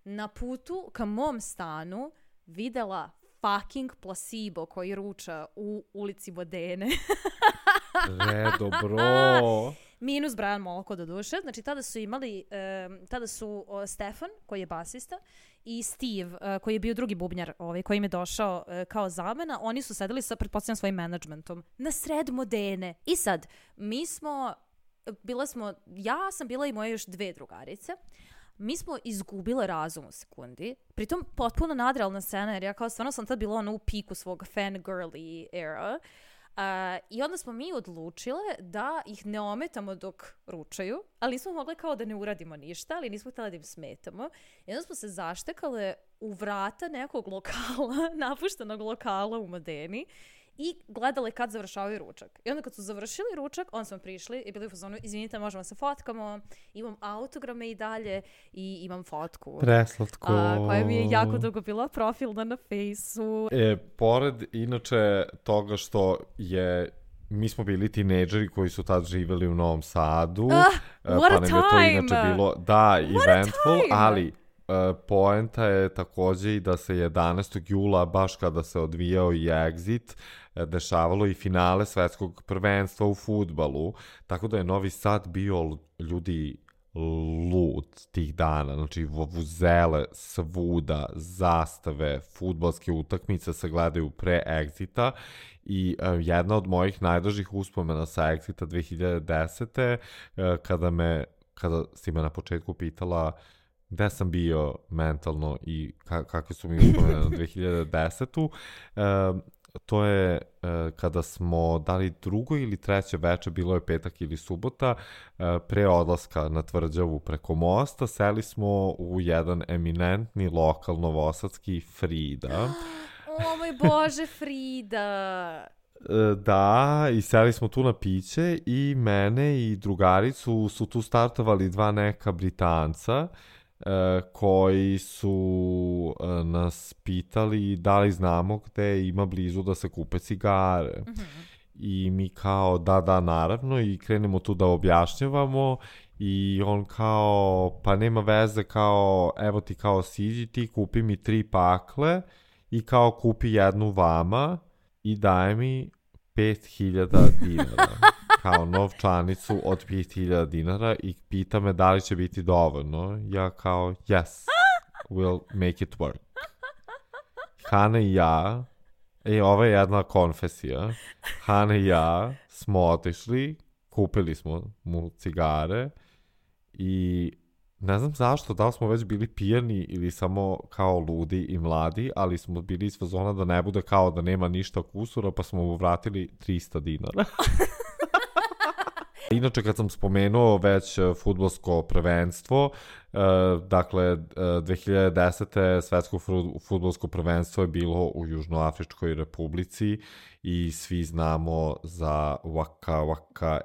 na putu ka mom stanu videla fucking Placebo koji ruča u ulici Vodene. Redo, bro. Minus Brian Molko do duše. Znači tada su Stefan koji je basista i Steve koji je bio drugi bubnjar koji im je došao kao zamena. Oni su sedeli sa pretpostavljam svojim menadžmentom na sred Modene. I sad, ja sam bila i moje još dve drugarice. Mi smo izgubile razum u sekundi. Pritom potpuno nadrealna scena, jer ja kao stvarno sam tad bila u piku svog fangirly era. I onda smo mi odlučile da ih ne ometamo dok ručaju, ali nismo mogli kao da ne uradimo ništa, ali nismo htjeli da im smetamo. I onda smo se zaštekale u vrata nekog lokala, napuštenog lokala u Modeni, i gledale kad završavaju ručak. I onda kad su završili ručak, onda smo prišli i bili u fazonu, izvinite, možemo se fotkamo, imam autograme i dalje i imam fotku. Preslatko. Koja mi je jako dugo bila profilna na Fejsu. Pored inače toga što mi smo bili tinejdžeri koji su tad živjeli u Novom Sadu. What a time! To inače bilo, eventful, ali poenta je također i da se 11. jula, baš kada se odvijao i Exit, dešavalo i finale svetskog prvenstva u fudbalu, tako da je Novi Sad bio ljudi lud tih dana, znači vuvuzele svuda, zastave, fudbalske utakmice se gledaju pre Exita i jedna od mojih najdražih uspomena sa Exita 2010. Kada si me na početku pitala gde sam bio mentalno i kakve su mi uspomene na 2010. To je kada smo dali drugo ili treće veče, bilo je petak ili subota, pre odlaska na Tvrđavu preko mosta, seli smo u jedan eminentni lokal novosadski, Frida. O moj Bože, Frida! Da, i seli smo tu na piće i mene i drugaricu su tu startovali dva neka Britanca, koji su nas pitali da li znamo gde ima blizu da se kupe cigare. I mi kao da naravno, i krenemo tu da objašnjavamo i on kao pa nema veze, kao evo ti kao siđi ti, kupi mi 3 pakle i kao kupi jednu vama i daje mi 5.000 dinara. Kao novčanicu od 5.000 dinara i pita me da li će biti dovoljno. Ja kao, yes, we'll make it work. Hana i ja, ovo je jedna konfesija, Hana i ja smo otišli, kupili smo mu cigare i ne znam zašto, da li smo već bili pijani ili samo kao ludi i mladi, ali smo bili iz fazona da ne bude kao da nema ništa kusura, pa smo mu vratili 300 dinara. Inače, kad sam spomenuo već fudbalsko prvenstvo, dakle, 2010. svetsko fudbalsko prvenstvo je bilo u Južnoafričkoj republici i svi znamo za Waka Waka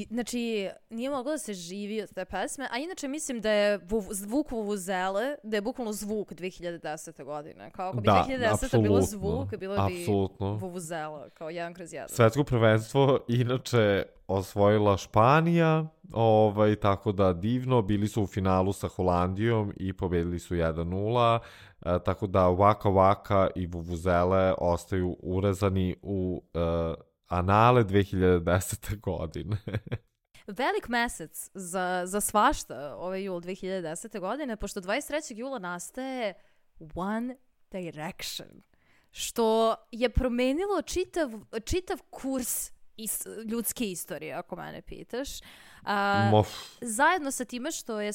Znači, nije moglo da se živi od te pesme, a inače mislim da je zvuk vuvuzele, da je bukvalno zvuk 2010. godine. Kao ako bi 2010. bilo zvuk, bilo bi vuvuzela, kao 1/1. Svetsko prvenstvo, inače, osvojila Španija, tako da divno, bili su u finalu sa Holandijom i pobedili su 1-0, tako da Waka Waka i Vuvuzele ostaju urezani u anale 2010. godine. Velik mesec za svašta ovaj jul 2010. godine, pošto 23. jula nastaje One Direction, što je promenilo čitav kurs ljudske istorije, ako mene pitaš. Zajedno sa time što je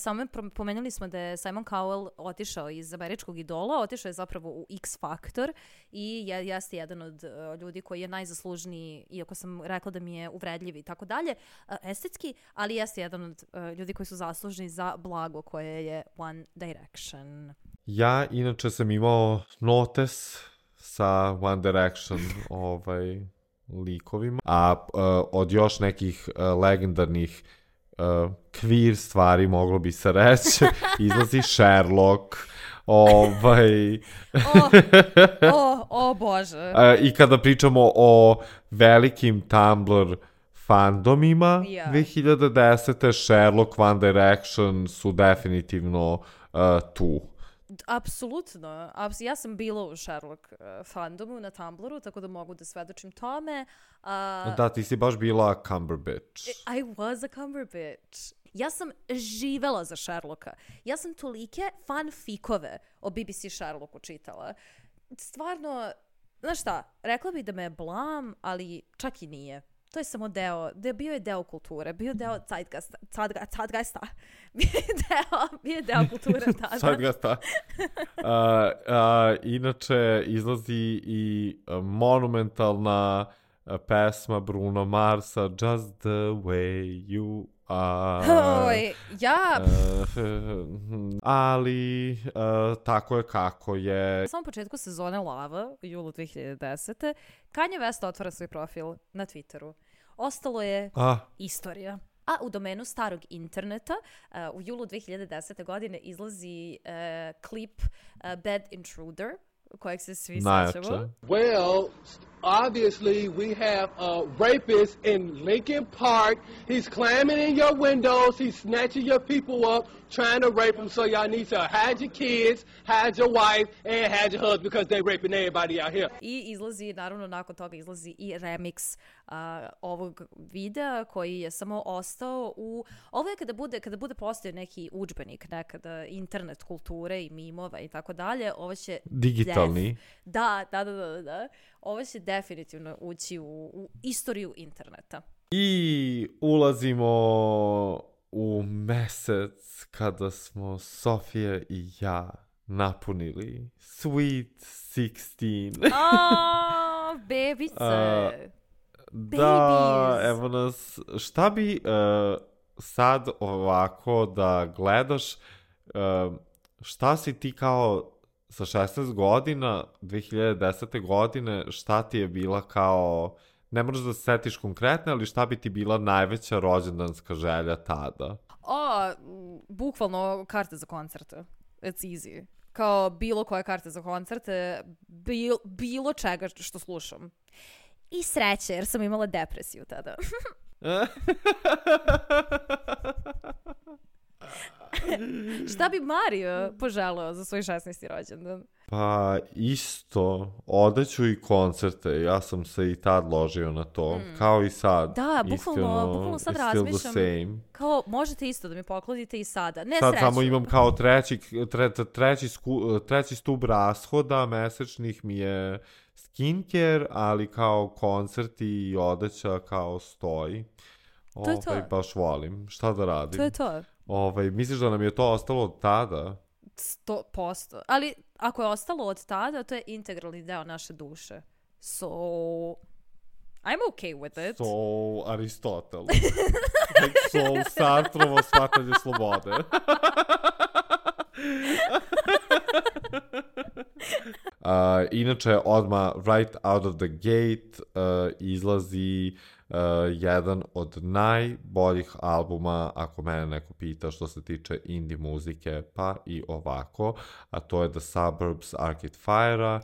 pomenuli smo da je Simon Cowell otišao iz američkog Idola, otišao je zapravo u X Factor i jeste jedan od ljudi koji je najzaslužniji, iako sam rekla da mi je uvredljiv i tako dalje, estetski, ali jeste jedan od ljudi koji su zaslužni za blago koje je One Direction. Ja inače sam imao notes sa One Direction likovima, a od još nekih legendarnih queer stvari moglo bi se reći, izlazi Sherlock, Bože. I kada pričamo o velikim Tumblr fandomima, 2010. Sherlock, One Direction su definitivno tu. Apsolutno. Ja sam bila u Sherlock fandomu na Tumblru, tako da mogu da svedočim tome. Da, ti si baš bila Cumberbatch. I was a Cumberbatch. Ja sam živela za Sherlocka. Ja sam tolike fanfikove o BBC Sherlocku čitala. Stvarno, znaš šta, rekla bih da me je blam, ali čak i nije. To je samo bio je deo kulture, bio je deo Zeitgeista. Bio je deo kulture tada. Zeitgeista. Inače, izlazi i monumentalna pesma Bruno Marsa, Just the way you are. Ali, tako je kako je. Na samom početku sezone Lava, u julu 2010. Kanye West otvara svoj profil na Twitteru. Ostalo je istorija. A u domenu starog interneta u julu 2010. godine izlazi klip Bad Intruder, kojeg se svi sećamo. Well, obviously we have a rapist in Lincoln Park. He's climbing in your windows. He's snatching your people up, trying to rape them. So y'all need to hide your kids, hide your wife, and hide your husband because they're raping everybody out here. I izlazi, naravno, nakon toga izlazi i remix ovog videa koji je samo ostao u... Ovo je kada bude postao neki udžbenik nekada internet kulture i mimova i tako dalje. Ovo će... Digitalni. Da. Ovo će definitivno ući u istoriju interneta. I ulazimo u mesec kada smo Sofija i ja napunili Sweet 16. Bebice. Da, evo nas. Šta bi sad ovako da gledaš, šta si ti kao sa 16 godina, 2010. godine, šta ti je bila kao, ne moraš da se setiš konkretno, ali šta bi ti bila najveća rođendanska želja tada? Bukvalno karte za koncerte. It's easy. Kao bilo koje karte za koncerte, bilo čega što slušam. I sreće, jer sam imala depresiju tada. Šta bi Mario poželeo za svoj 16. rođendan? Pa isto, odeću i koncerte, ja sam se i tad ložio na to, kao i sad. Da, bukvalno sad razmišljam, kao možete isto da mi poklonite i sada, ne sad sreću. Samo imam kao treći stub rashoda mesečnih mi je skincare, ali kao koncerti i odeća kao stoji. To je to. Baš volim, šta da radim? To je to. Misliš da nam je to ostalo od tada? 100%. Ali ako je ostalo od tada, to je integralni deo naše duše. So, I'm okay with it. So, Aristotel. So, Sartrovo shvatanje slobode. Inače, odmah right out of the gate izlazi jedan od najboljih albuma, ako mene neko pita što se tiče indie muzike, pa i ovako, a to je The Suburbs Arcade Fire-a.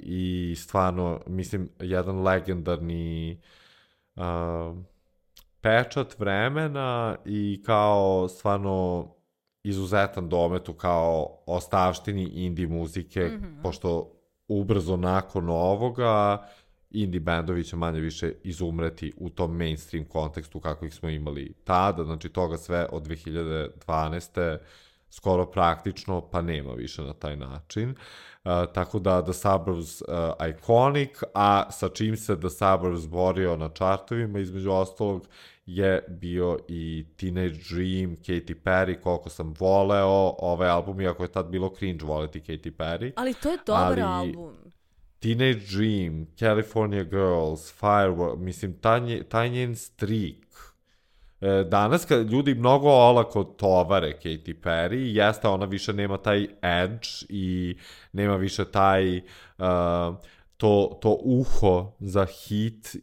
I stvarno, mislim, jedan legendarni pečat vremena i kao stvarno izuzetan domet u kao ostavštini indie muzike, pošto ubrzo nakon ovoga indie bendovi će manje više izumreti u tom mainstream kontekstu kako ih smo imali tada, znači toga sve od 2012. skoro praktično, pa nema više na taj način. Tako da The Suburbs iconic, a sa čim se The Suburbs borio na čartovima, između ostalog, je bio i Teenage Dream, Katy Perry, koliko sam voleo ovaj album, iako je tad bilo cringe voleti Katy Perry. Ali to je dobar album. Teenage Dream, California Girls, Firework, mislim, taj njen streak. Danas kad ljudi mnogo olako tovare Katy Perry, jeste ona više nema taj edge i nema više taj to uho za hit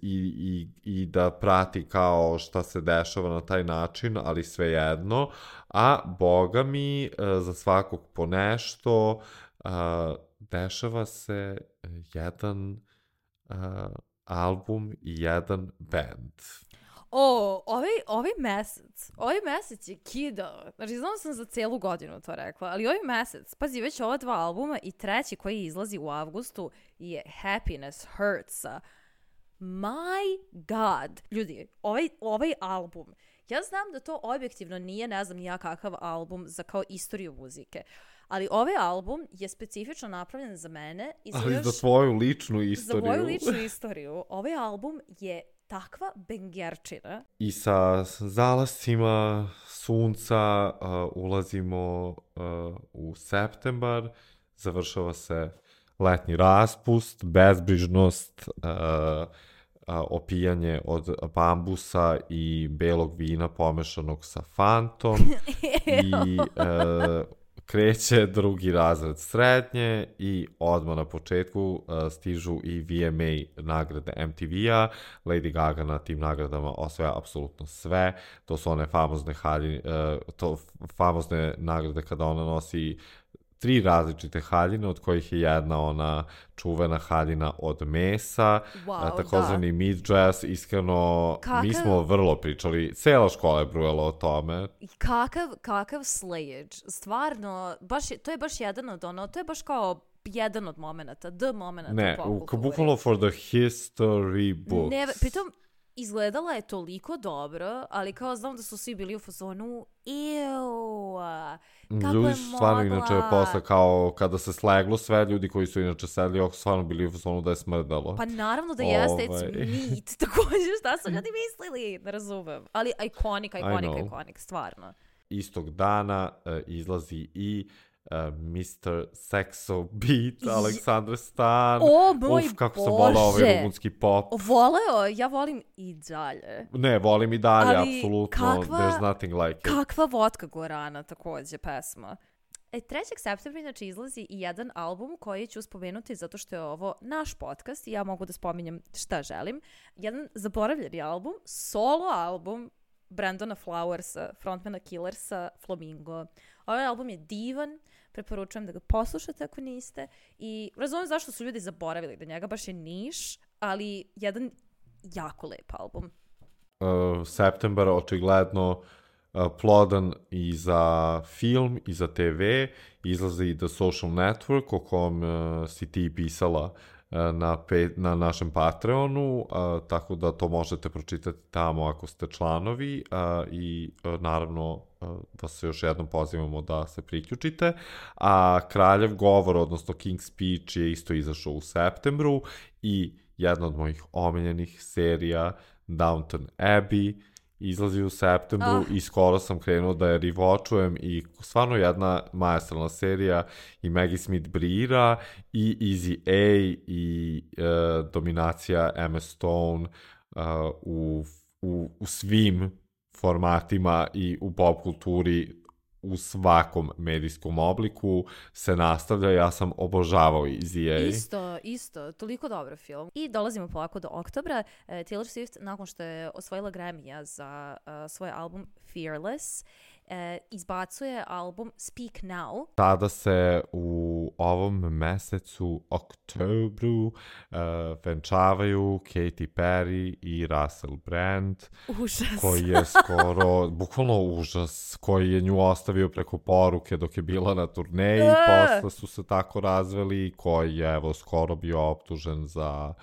i da prati kao šta se dešava na taj način, ali svejedno. A boga mi, za svakog po nešto, dešava se jedan album i jedan band. Ovaj mesec je kidao. Znači, znam sam za celu godinu to rekla, ali ovaj mesec, pazi, već ova 2 albuma i treći koji izlazi u avgustu je Happiness Hurts. My God. Ljudi, ovaj album, ja znam da to objektivno nije, ne znam ja kakav album za kao istoriju muzike, ali ovaj album je specifično napravljen za mene. Ali za tvoju ličnu istoriju. Za moju ličnu istoriju. Ovaj album je takva bengerčina. I sa zalascima sunca ulazimo u septembar, završava se letnji raspust, bezbrižnost, opijanje od bambusa i belog vina pomešanog sa fantom i kreće drugi razred srednje i odmah na početku stižu i VMA nagrade MTV-a. Lady Gaga na tim nagradama osvaja apsolutno sve. To su one famozne nagrade kada ona nosi 3 različite haljine, od kojih je jedna ona čuvena haljina od mesa, takozvani midjazz, iskreno, mi smo vrlo pričali, cela škola je brujala o tome. Kakav slayage, stvarno, to je baš jedan od to je baš kao jedan od momenata, ne, bukvalno for the history books. Ne, pritom, izgledala je toliko dobro, ali kao znam da su svi bili u fazonu kako ljudi je su stvarno mogla. inače posle kao kada se sleglo sve, ljudi koji su inače sedli oko stvarno bili u fazonu da je smrdalo. Pa naravno da jeste, it's meat. Također šta su ljudi mislili, ne razumem. Ali iconic, stvarno. Istog dana izlazi i Mr. Sexo Beat, Aleksandar Stan. O moj kako Bože! sam volao ovaj rumunski pop. Ja volim i dalje. Ne, volim i dalje, ali apsolutno. There's nothing like it. Kakva Vodka Gorana također pesma. 3. septembra inače izlazi i jedan album koji ću spomenuti zato što je ovo naš podcast i ja mogu da spominjem šta želim. Jedan zaboravljeni album, solo album Brandona Flowersa, frontmana Killersa, Flamingo. Ovaj album je divan, preporučujem da ga poslušate ako niste i razumijem zašto su ljudi zaboravili da njega baš je niš, ali jedan jako lep album. Septembar očigledno plodan i za film i za TV, izlazi i The Social Network o kom si ti pisala na našem Patreonu, tako da to možete pročitati tamo ako ste članovi i naravno da se još jednom pozivamo da se priključite. A Kraljev govor, odnosno King's Speech je isto izašao u septembru i jedna od mojih omiljenih serija Downton Abbey izlazi u septembru i skoro sam krenuo da je rewatchujem i stvarno jedna maestralna serija i Maggie Smith briljira i Easy A i dominacija Emma Stone u svim formatima i u pop kulturi u svakom medijskom obliku se nastavlja. Ja sam obožavao Easy A. Isto, toliko dobar film. I dolazimo polako do oktobra. Taylor Swift, nakon što je osvojila Grammy-a za svoj album Fearless, izbacuje album Speak Now. Tada se u u ovom mesecu, oktobru, venčavaju Katy Perry i Russell Brand. Užas. Koji je skoro, bukvalno užas, koji je nju ostavio preko poruke dok je bila na turneji, posle su se tako razveli, koji je evo skoro bio optužen za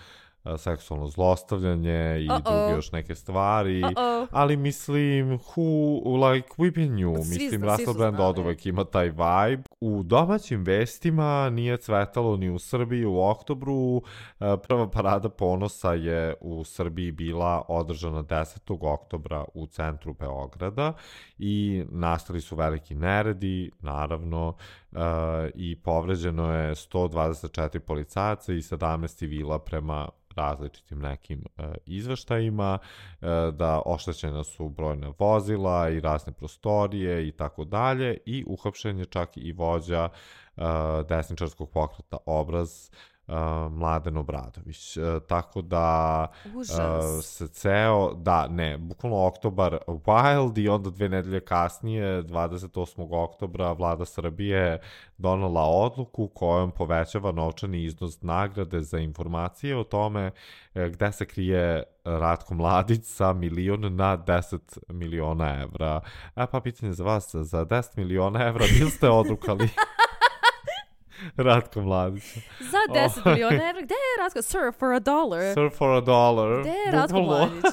seksualno zlostavljanje i druge još neke stvari, ali mislim we've been new, mislim Russell Brand od uvek ima taj vibe. U domaćim vestima nije cvetalo ni u Srbiji u oktobru. Prva parada ponosa je u Srbiji bila održana 10. oktobra u centru Beograda i nastali su veliki neredi, naravno, i povređeno je 124 policajaca i 17 civila prema različitim nekim izveštajima, da oštećena su brojna vozila i razne prostorije i tako dalje, i uhapšen je čak i vođa desničarskog pokreta Obraz, Mladen Obradović. Tako da se ceo, bukvalno oktobar wild, i onda 2 nedelje kasnije, 28. oktobra, vlada Srbije donela odluku kojom povećava novčani iznos nagrade za informacije o tome gde se krije Ratko Mladić sa 1.000.000 na 10 miliona evra. Pa pitanje za vas, za 10 miliona evra bil ste odrukali Ratko Mladića? Za 10 miliona evra? Gde je Ratko? Sir, for $1. Sir, for $1. Gde je Ratko Mladić?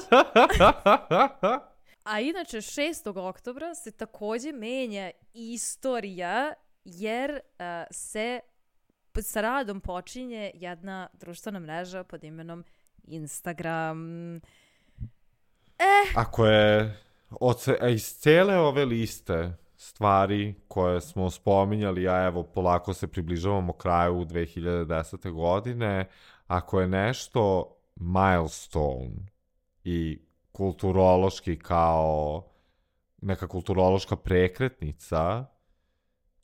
A inače, 6. oktobra se takođe menja istorija, jer se sa radom počinje jedna društvena mreža pod imenom Instagram. Ako je iz cele ove liste stvari koje smo spominjali, a evo polako se približavamo kraju 2010. godine, ako je nešto milestone i kulturološki kao neka kulturološka prekretnica,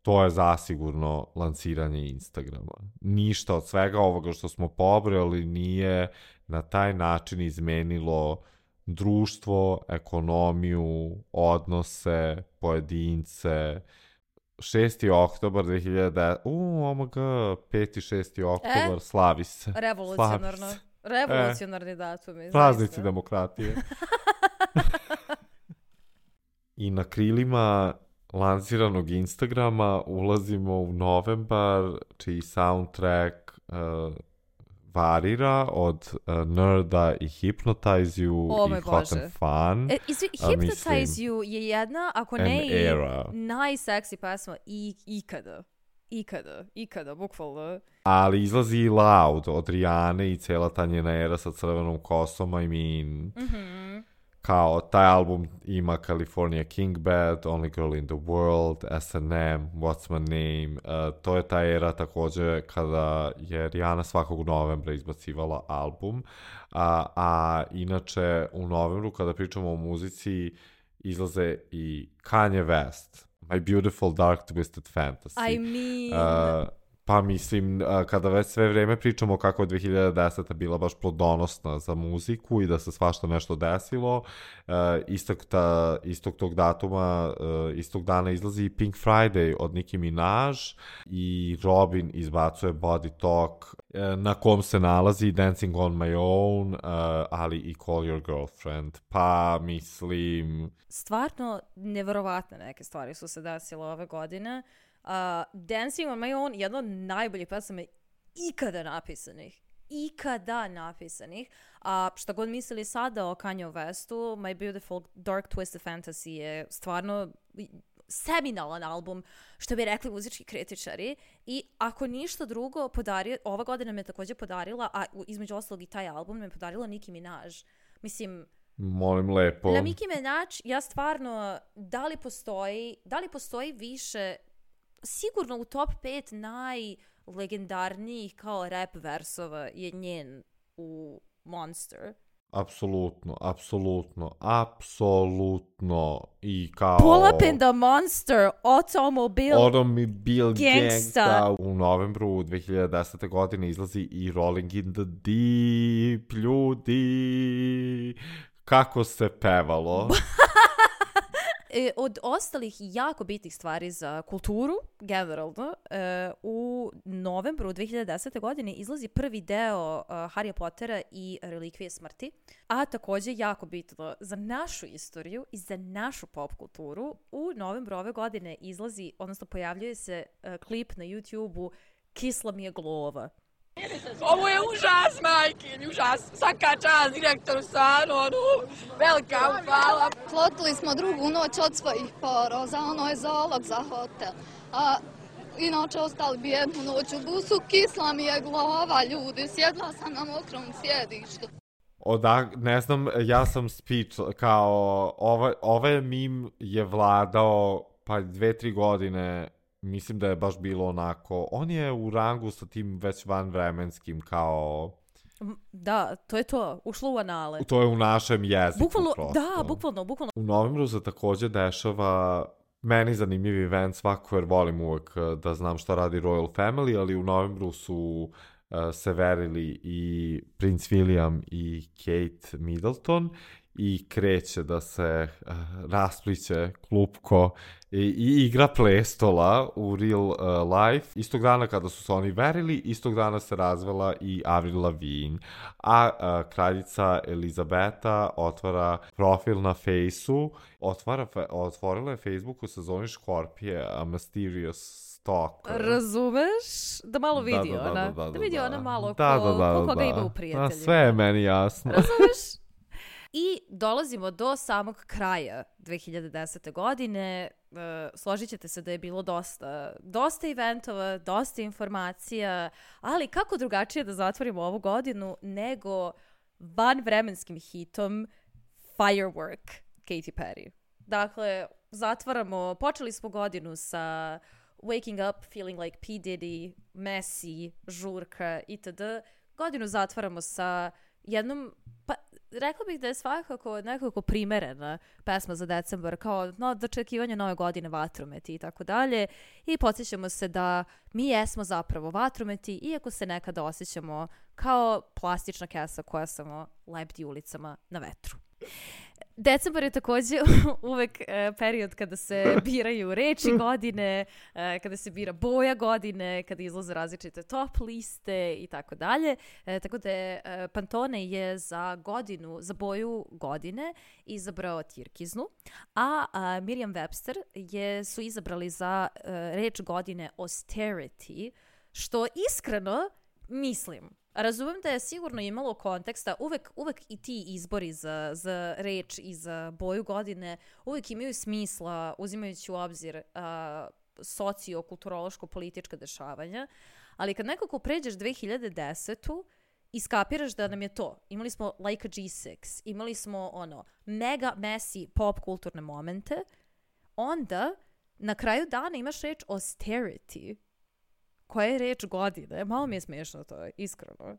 to je zasigurno lansiranje Instagrama. Ništa od svega ovoga što smo pobrojali nije na taj način izmenilo društvo, ekonomiju, odnose, pojedince. 6. oktobar 2010... omg, 5. 6. oktobar, slavi se. Revolucionarno. Revolucionarni datum. Praznici demokratije. I na krilima lansiranog Instagrama ulazimo u novembar, čiji soundtrack varira od Nerda i Hypnotize You i Hot and Fun. Hypnotize You je jedna, ako ne i najseksi pesma ikada, bukvalno. Ali izlazi i Loud od Rijane i cela ta njena era sa crvenom kosom, kao taj album ima California King Bed, Only Girl in the World, S&M, What's My Name. To je ta era takođe kada je Rihanna svakog novembra izbacivala album. A inače u novembru kada pričamo o muzici izlaze i Kanye West, My Beautiful Dark Twisted Fantasy. Pa mislim, kada već sve vreme pričamo kako je 2010. bila baš plodonosna za muziku i da se svašta nešto desilo, istog tog datuma, istog dana izlazi Pink Friday od Nicki Minaj i Robin izbacuje Body Talk, na kom se nalazi Dancing on My Own, ali i Call Your Girlfriend. Pa mislim... Stvarno neverovatne neke stvari su se desile ove godine. Dancing on My Own, jedno od najboljih pesama ikada napisanih. Šta god mislili sada o Kanye Westu, My Beautiful Dark Twisted Fantasy je stvarno seminalan album, što bi rekli muzički kritičari, i ako ništa drugo ova godina me takođe podarila, a između ostalog i taj album me podarila Nicki Minaj. Mislim, molim lepo. Na Nicki Minaj, ja stvarno, da li postoji više, sigurno u top 5 najlegendarnijih kao rap versova je njen u Monster. Apsolutno. I kao... Pull up in the Monster, Automobile Gangsta. U novembru 2010. godine izlazi i Rolling in the Deep, ljudi. Kako se pevalo. od ostalih jako bitnih stvari za kulturu, generalno, u novembru 2010. godine izlazi prvi deo Harry Pottera i Relikvije smrti, a također jako bitno za našu istoriju i za našu pop kulturu, u novembru ove godine izlazi, odnosno pojavljuje se klip na YouTube-u Kisla mi je glova. Ovo je užas, majkin, užas. Svaka čast direktoru Sanonu. Velika hvala. Plotili smo drugu noć od svojih poroza, ono je zalog za hotel. A inače ostali bi jednu noć u busu, kisla mi je glava, ljudi, sjedla sam na mokrom sjedištu. Ne znam, ja sam speech, kao, ovaj meme je vladao pa 2-3 godine. Mislim da je baš bilo onako, on je u rangu sa tim već vanvremenskim kao... Da, to je to, ušlo u anale. To je u našem jeziku bukvalno, prosto. Da, bukvalno. U novembru se također dešava meni zanimljiv event svako, jer volim uvek da znam šta radi Royal Family, ali u novembru su se verili i Prince William i Kate Middleton i kreće da se raspliće klupko i igra prestola u real life. Istog dana kada su se oni verili, istog dana se razvela i Avril Lavigne. A kraljica Elizabeta otvara profil na Fejsu, otvorila je Facebook u sezoni Škorpije, A Mysterious Stalker. Razumeš? Da malo vidi ona. Da vidi ona malo koga ima u prijateljima. Sve je meni jasno. Razumeš? I dolazimo do samog kraja 2010. godine. Složit ćete se da je bilo dosta eventova, dosta informacija, ali kako drugačije da zatvorimo ovu godinu nego vanvremenskim hitom Firework Katy Perry. Dakle, počeli smo godinu sa Waking Up, Feeling Like P. Diddy, Messi, Žurka itd. Godinu zatvaramo sa jednom, pa rekla bih da je svakako nekako primerena pesma za decembar, kao dočekivanje nove godine, vatrometi i tako dalje. I podsjećamo se da mi jesmo zapravo vatrometi, iako se nekada osjećamo kao plastična kesa koja samo lepti ulicama na vetru. Decembar je također uvek period kada se biraju reči godine, kada se bira boja godine, kada izlaze različite top liste i tako dalje. Tako da Pantone je za boju godine izabrao tirkiznu, a Merriam-Webster su izabrali za reč godine austerity, što iskreno mislim. Razumem da je sigurno imalo konteksta, uvek i ti izbori za reč i za boju godine uvek imaju smisla uzimajući u obzir socio-kulturološko-politička dešavanja, ali kad nekako pređeš 2010. iskapiraš da nam je to. Imali smo Like a G6, imali smo mega messy pop kulturne momente, onda na kraju dana imaš reč austerity, koja je reč godine. Malo mi je smiješno to, iskreno.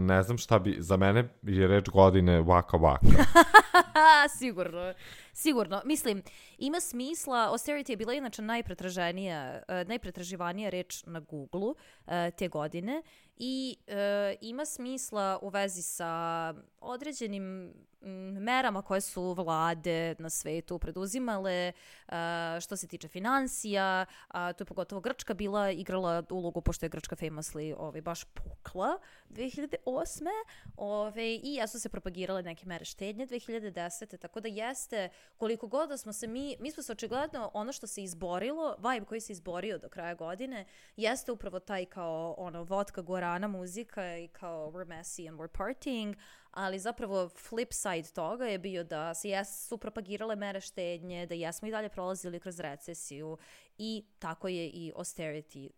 Ne znam šta bi, za mene je reč godine Waka Waka. Sigurno. Mislim, ima smisla, austerity je bila inače najpretraživanija reč na Google-u te godine i ima smisla u vezi sa određenim merama koje su vlade na svetu preduzimale što se tiče financija. Tu je pogotovo Grčka igrala ulogu, pošto je Grčka famously baš pukla 2008. I jesu se propagirale neke mere štednje 2010. Tako da jeste, koliko god da smo se mi smo se očigledno ono što se izborilo, vibe koji se izborio do kraja godine, jeste upravo taj kao vodka guarana muzika i kao we're messy and we're partying, ali zapravo flip side toga je bio da su propagirale mere štednje, da jesmo i dalje prolazili kroz recesiju i tako je i austerity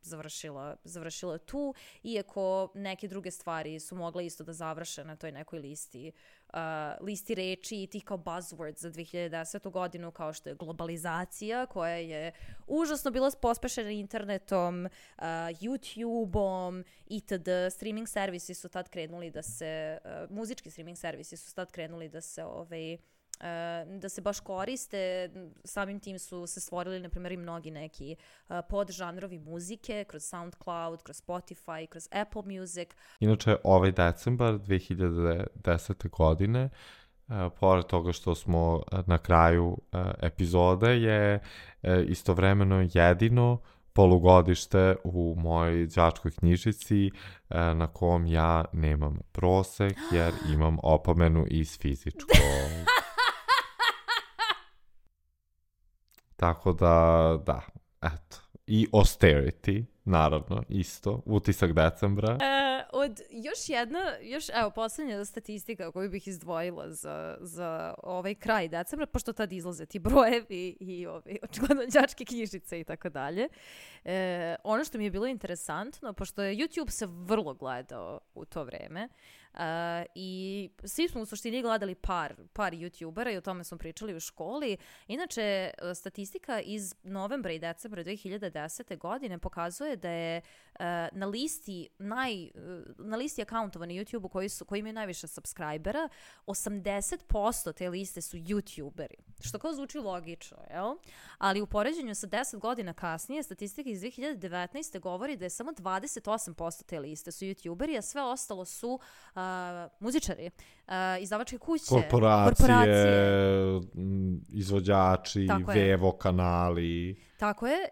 završila tu, iako neke druge stvari su mogle isto da završe na toj nekoj listi reči i tih kao buzzwords za 2010. godinu, kao što je globalizacija, koja je užasno bila pospešena internetom, YouTube-om itd. Streaming servisi su tad krenuli da se, muzički streaming servisi su tad krenuli da se baš koriste. Samim tim su se stvorili, na primjer, i mnogi neki podžanrovi muzike kroz SoundCloud, kroz Spotify, kroz Apple Music. Inače, ovaj decembar 2010. godine pored toga što smo na kraju epizode, je istovremeno jedino polugodište u mojoj đačkoj knjižici na kom ja nemam prosek jer imam opomenu iz fizičkog. Tako da, eto. I austerity, naravno, isto, utisak decembra. Evo, posljednja statistika koju bih izdvojila za ovaj kraj decembra, pošto tad izlaze ti brojevi i očigledno đačke knjižice i tako dalje. Ono što mi je bilo interesantno, pošto je YouTube se vrlo gledao u to vreme, i svi smo u suštini gledali par YouTubera i o tome smo pričali u školi. Inače, statistika iz novembra i decembra 2010. godine pokazuje da je na listi akauntova na YouTubeu koji imaju najviše subscribera, 80% te liste su YouTuberi. Što kao zvuči logično, jel? Ali u poređenju sa 10 godina kasnije, statistika iz 2019. govori da je samo 28% te liste su YouTuberi, a sve ostalo su muzičari, izdavačke kuće, korporacije, izvođači, Vevo kanali. Tako je,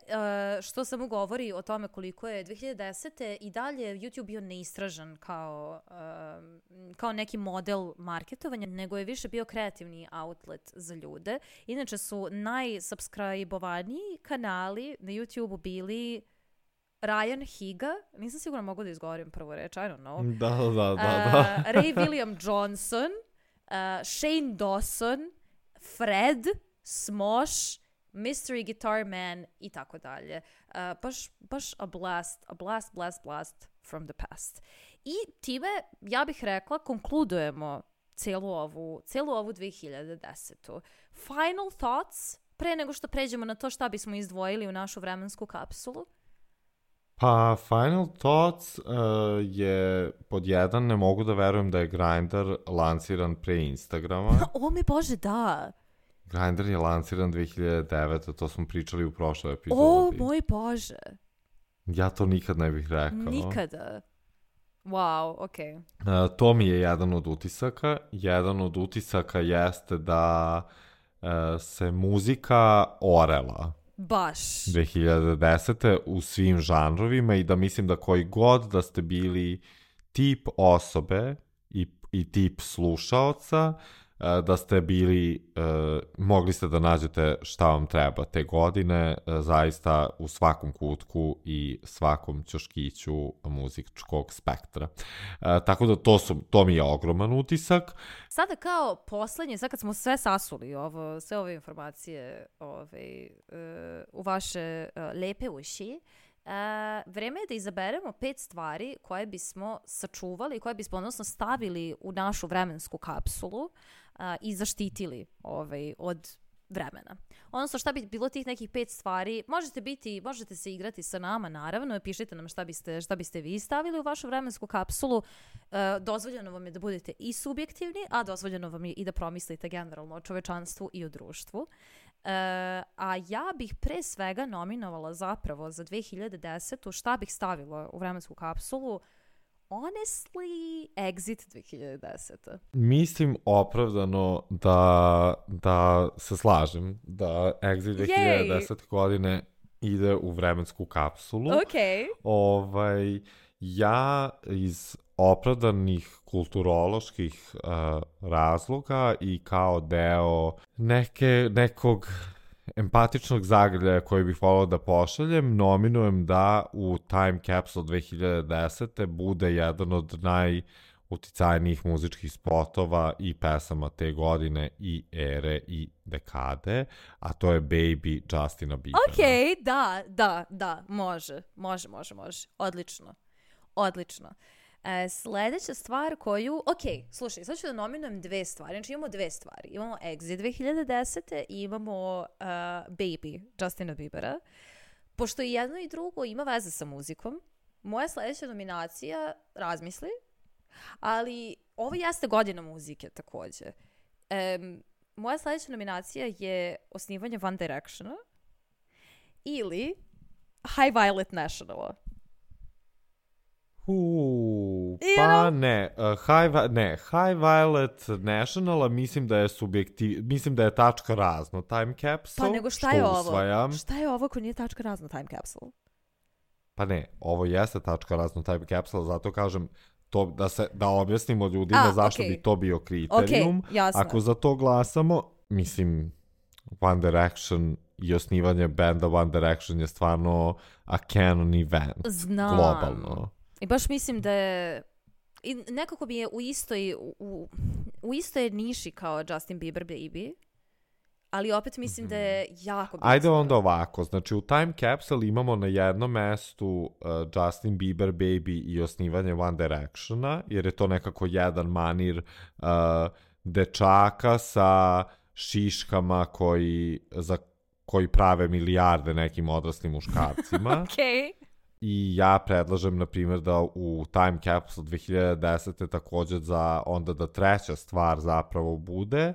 što samo govori o tome koliko je 2010. i dalje YouTube bio neistražan kao neki model marketovanja, nego je više bio kreativni outlet za ljude. Inače su najsubscribovaniji kanali na YouTube bili Ryan Higa, nisam sigurno mogu da izgovorim prvu reč, I don't know. Da. Ray William Johnson, Shane Dawson, Fred, Smosh, Mystery Guitar Man i tako dalje. Baš a blast from the past. I time, ja bih rekla, konkludujemo celu ovu 2010. Final thoughts, pre nego što pređemo na to šta bismo izdvojili u našu vremensku kapsulu? Pa, Final Thoughts je pod jedan, ne mogu da verujem da je Grindr lanciran pre Instagrama. O mi Bože, da. Grindr je lanciran 2009, to smo pričali u prošloj epizodi. O moj Bože. Ja to nikad ne bih rekao. Nikada. Wow, okej. To mi je jedan od utisaka. Jedan od utisaka jeste da se muzika orela. Baš. 2010. u svim žanrovima i da mislim da koji god da ste bili tip osobe i tip slušaoca, da ste bili, mogli ste da nađete šta vam treba te godine, zaista u svakom kutku i svakom ćoškiću muzičkog spektra. Tako da to mi je ogroman utisak. Sada kao poslednje, sad kad smo sve sasuli, sve ove informacije u vaše lepe uši, vreme je da izaberemo 5 stvari koje bismo sačuvali, koje bismo odnosno stavili u našu vremensku kapsulu i zaštitili od vremena. Odnosno šta bi bilo tih nekih 5 stvari, možete se igrati sa nama naravno, pišite nam šta biste vi stavili u vašu vremensku kapsulu. Dozvoljeno vam je da budete i subjektivni, a dozvoljeno vam je i da promislite generalno o čovečanstvu i o društvu. A ja bih pre svega nominovala zapravo za 2010. šta bih stavila u vremensku kapsulu. Honestly, Exit 2010. Mislim opravdano da se slažem da Exit 2010. godine ide u vremensku kapsulu. Okay. Ja iz opravdanih kulturoloških razloga i kao deo nekog empatičnog zagrljaja koji bih volao da pošaljem, nominujem da u Time Capsule 2010. bude jedan od najuticajnijih muzičkih spotova i pesama te godine i ere i dekade, a to je Baby Justina Biebera. Ok, da, može. Odlično. Sljedeća stvar koju... slušaj, sad ću da nominujem 2 stvari. Znači imamo 2 stvari. Imamo Exit 2010. i imamo Baby Justina Biebera. Pošto i jedno i drugo ima veze sa muzikom, moja sljedeća nominacija, razmisli, ali ovo jeste godina muzike također. Moja sljedeća nominacija je osnivanje One Directiona ili High Violet Nationala. Pa ne, High Violet National, mislim da je mislim da je tačka razno Time Capsule. Pa nego šta je ovo? Usvajam. Šta je ovo ko nije tačka razno Time Capsule? Pa ne, ovo jeste tačka razno Time Capsule, zato kažem to da objasnimo ljudima zašto bi to bio kriterijum. Jasno. Ako za to glasamo, mislim, One Direction i osnivanje benda One Direction je stvarno a canon event. Znam. Globalno. I baš mislim da je... I nekako bi je u istoj niši kao Justin Bieber Baby, ali opet mislim da je jako bitno. Ajde onda ovako, znači u Time Capsule imamo na jednom mestu Justin Bieber Baby i osnivanje One Directiona, jer je to nekako jedan manir dečaka sa šiškama koji prave milijarde nekim odraslim muškarcima. Okej. I ja predlažem, na primjer, da u Time Capsule 2010. također onda da treća stvar zapravo bude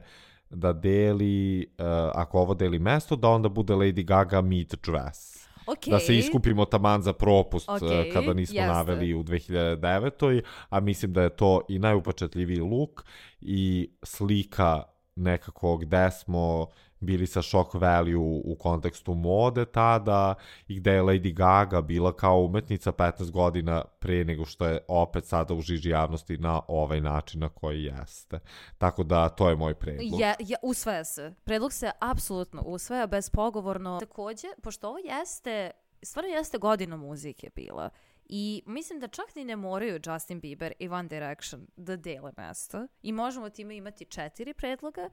da deli, ako ovo deli mesto, da onda bude Lady Gaga Meet Dress. Okay. Da se iskupimo taman za propust kada nismo jeste. naveli u 2009. A mislim da je to i najupečatljiviji look i slika nekako gde smo bili sa shock value u kontekstu mode tada i gde je Lady Gaga bila kao umetnica 15 godina pre nego što je opet sada u žiži javnosti na ovaj način na koji jeste. Tako da to je moj predlog. Usvaja se. Predlog se apsolutno usvaja, bezpogovorno. Takođe, pošto ovo stvarno jeste godina muzike bila. I mislim da čak ni ne moraju Justin Bieber i One Direction da dele mesto. I možemo time imati 4 predloga.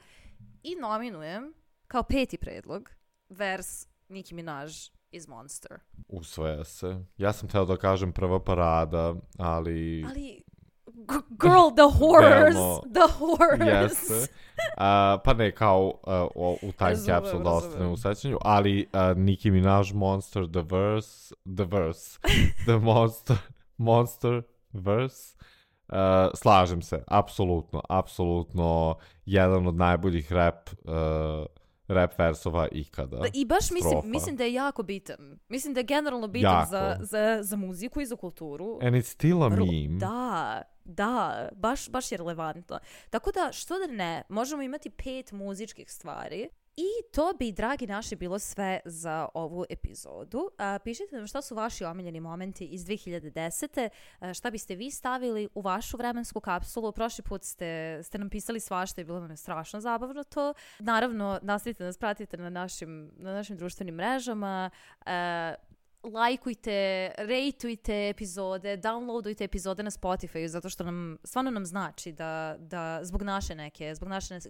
I nominujem kao 5. predlog vers Nicki Minaj iz Monster. Usvaja se. Ja sam hteo da kažem prva parada, ali girl, the horrors. Jeste. Pa ne, kao u Time Capsule da ostane u sećanju, ali Nicki Minaj Monster, the Monster verse. Slažem se, apsolutno jedan od najboljih rap versova ikada. I baš mislim da je jako bitan. Mislim da je generalno bitan za muziku i za kulturu. And it's still a meme. Da, baš je relevantno. Tako da, što da ne, možemo imati 5 muzičkih stvari. I to bi, dragi naši, bilo sve za ovu epizodu. Pišite nam šta su vaši omiljeni momenti iz 2010. Šta biste vi stavili u vašu vremensku kapsulu. Prošli put ste nam pisali svašta i bilo nam je strašno zabavno to. Naravno, nastavite nas, pratite na našim društvenim mrežama. Lajkujte, rejtujte epizode, downloadujte epizode na Spotify, zato što stvarno nam znači da zbog naše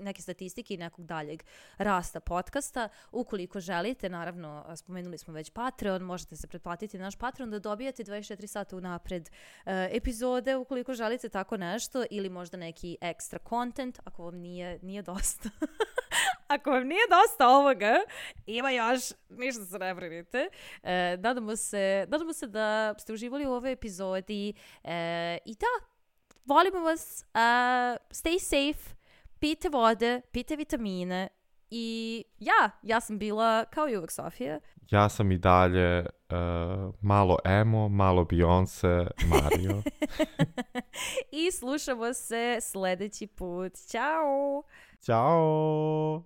neke statistike i nekog daljeg rasta podcasta, ukoliko želite, naravno, spomenuli smo već Patreon, možete se pretplatiti na naš Patreon da dobijate 24 sata unapred epizode, ukoliko želite tako nešto, ili možda neki ekstra content, ako vam nije dosta. Ako vam nije dosta ovoga, ima još, ništa se ne brinite. Nadamo se da ste uživali u ovoj epizodi. I da, volimo vas. Stay safe, pijte vode, pijte vitamine. I ja sam bila, kao i uvek, Sofija. Ja sam i dalje malo emo, malo Beyoncé, Mario. I slušamo se sledeći put. Ćao! Ćao!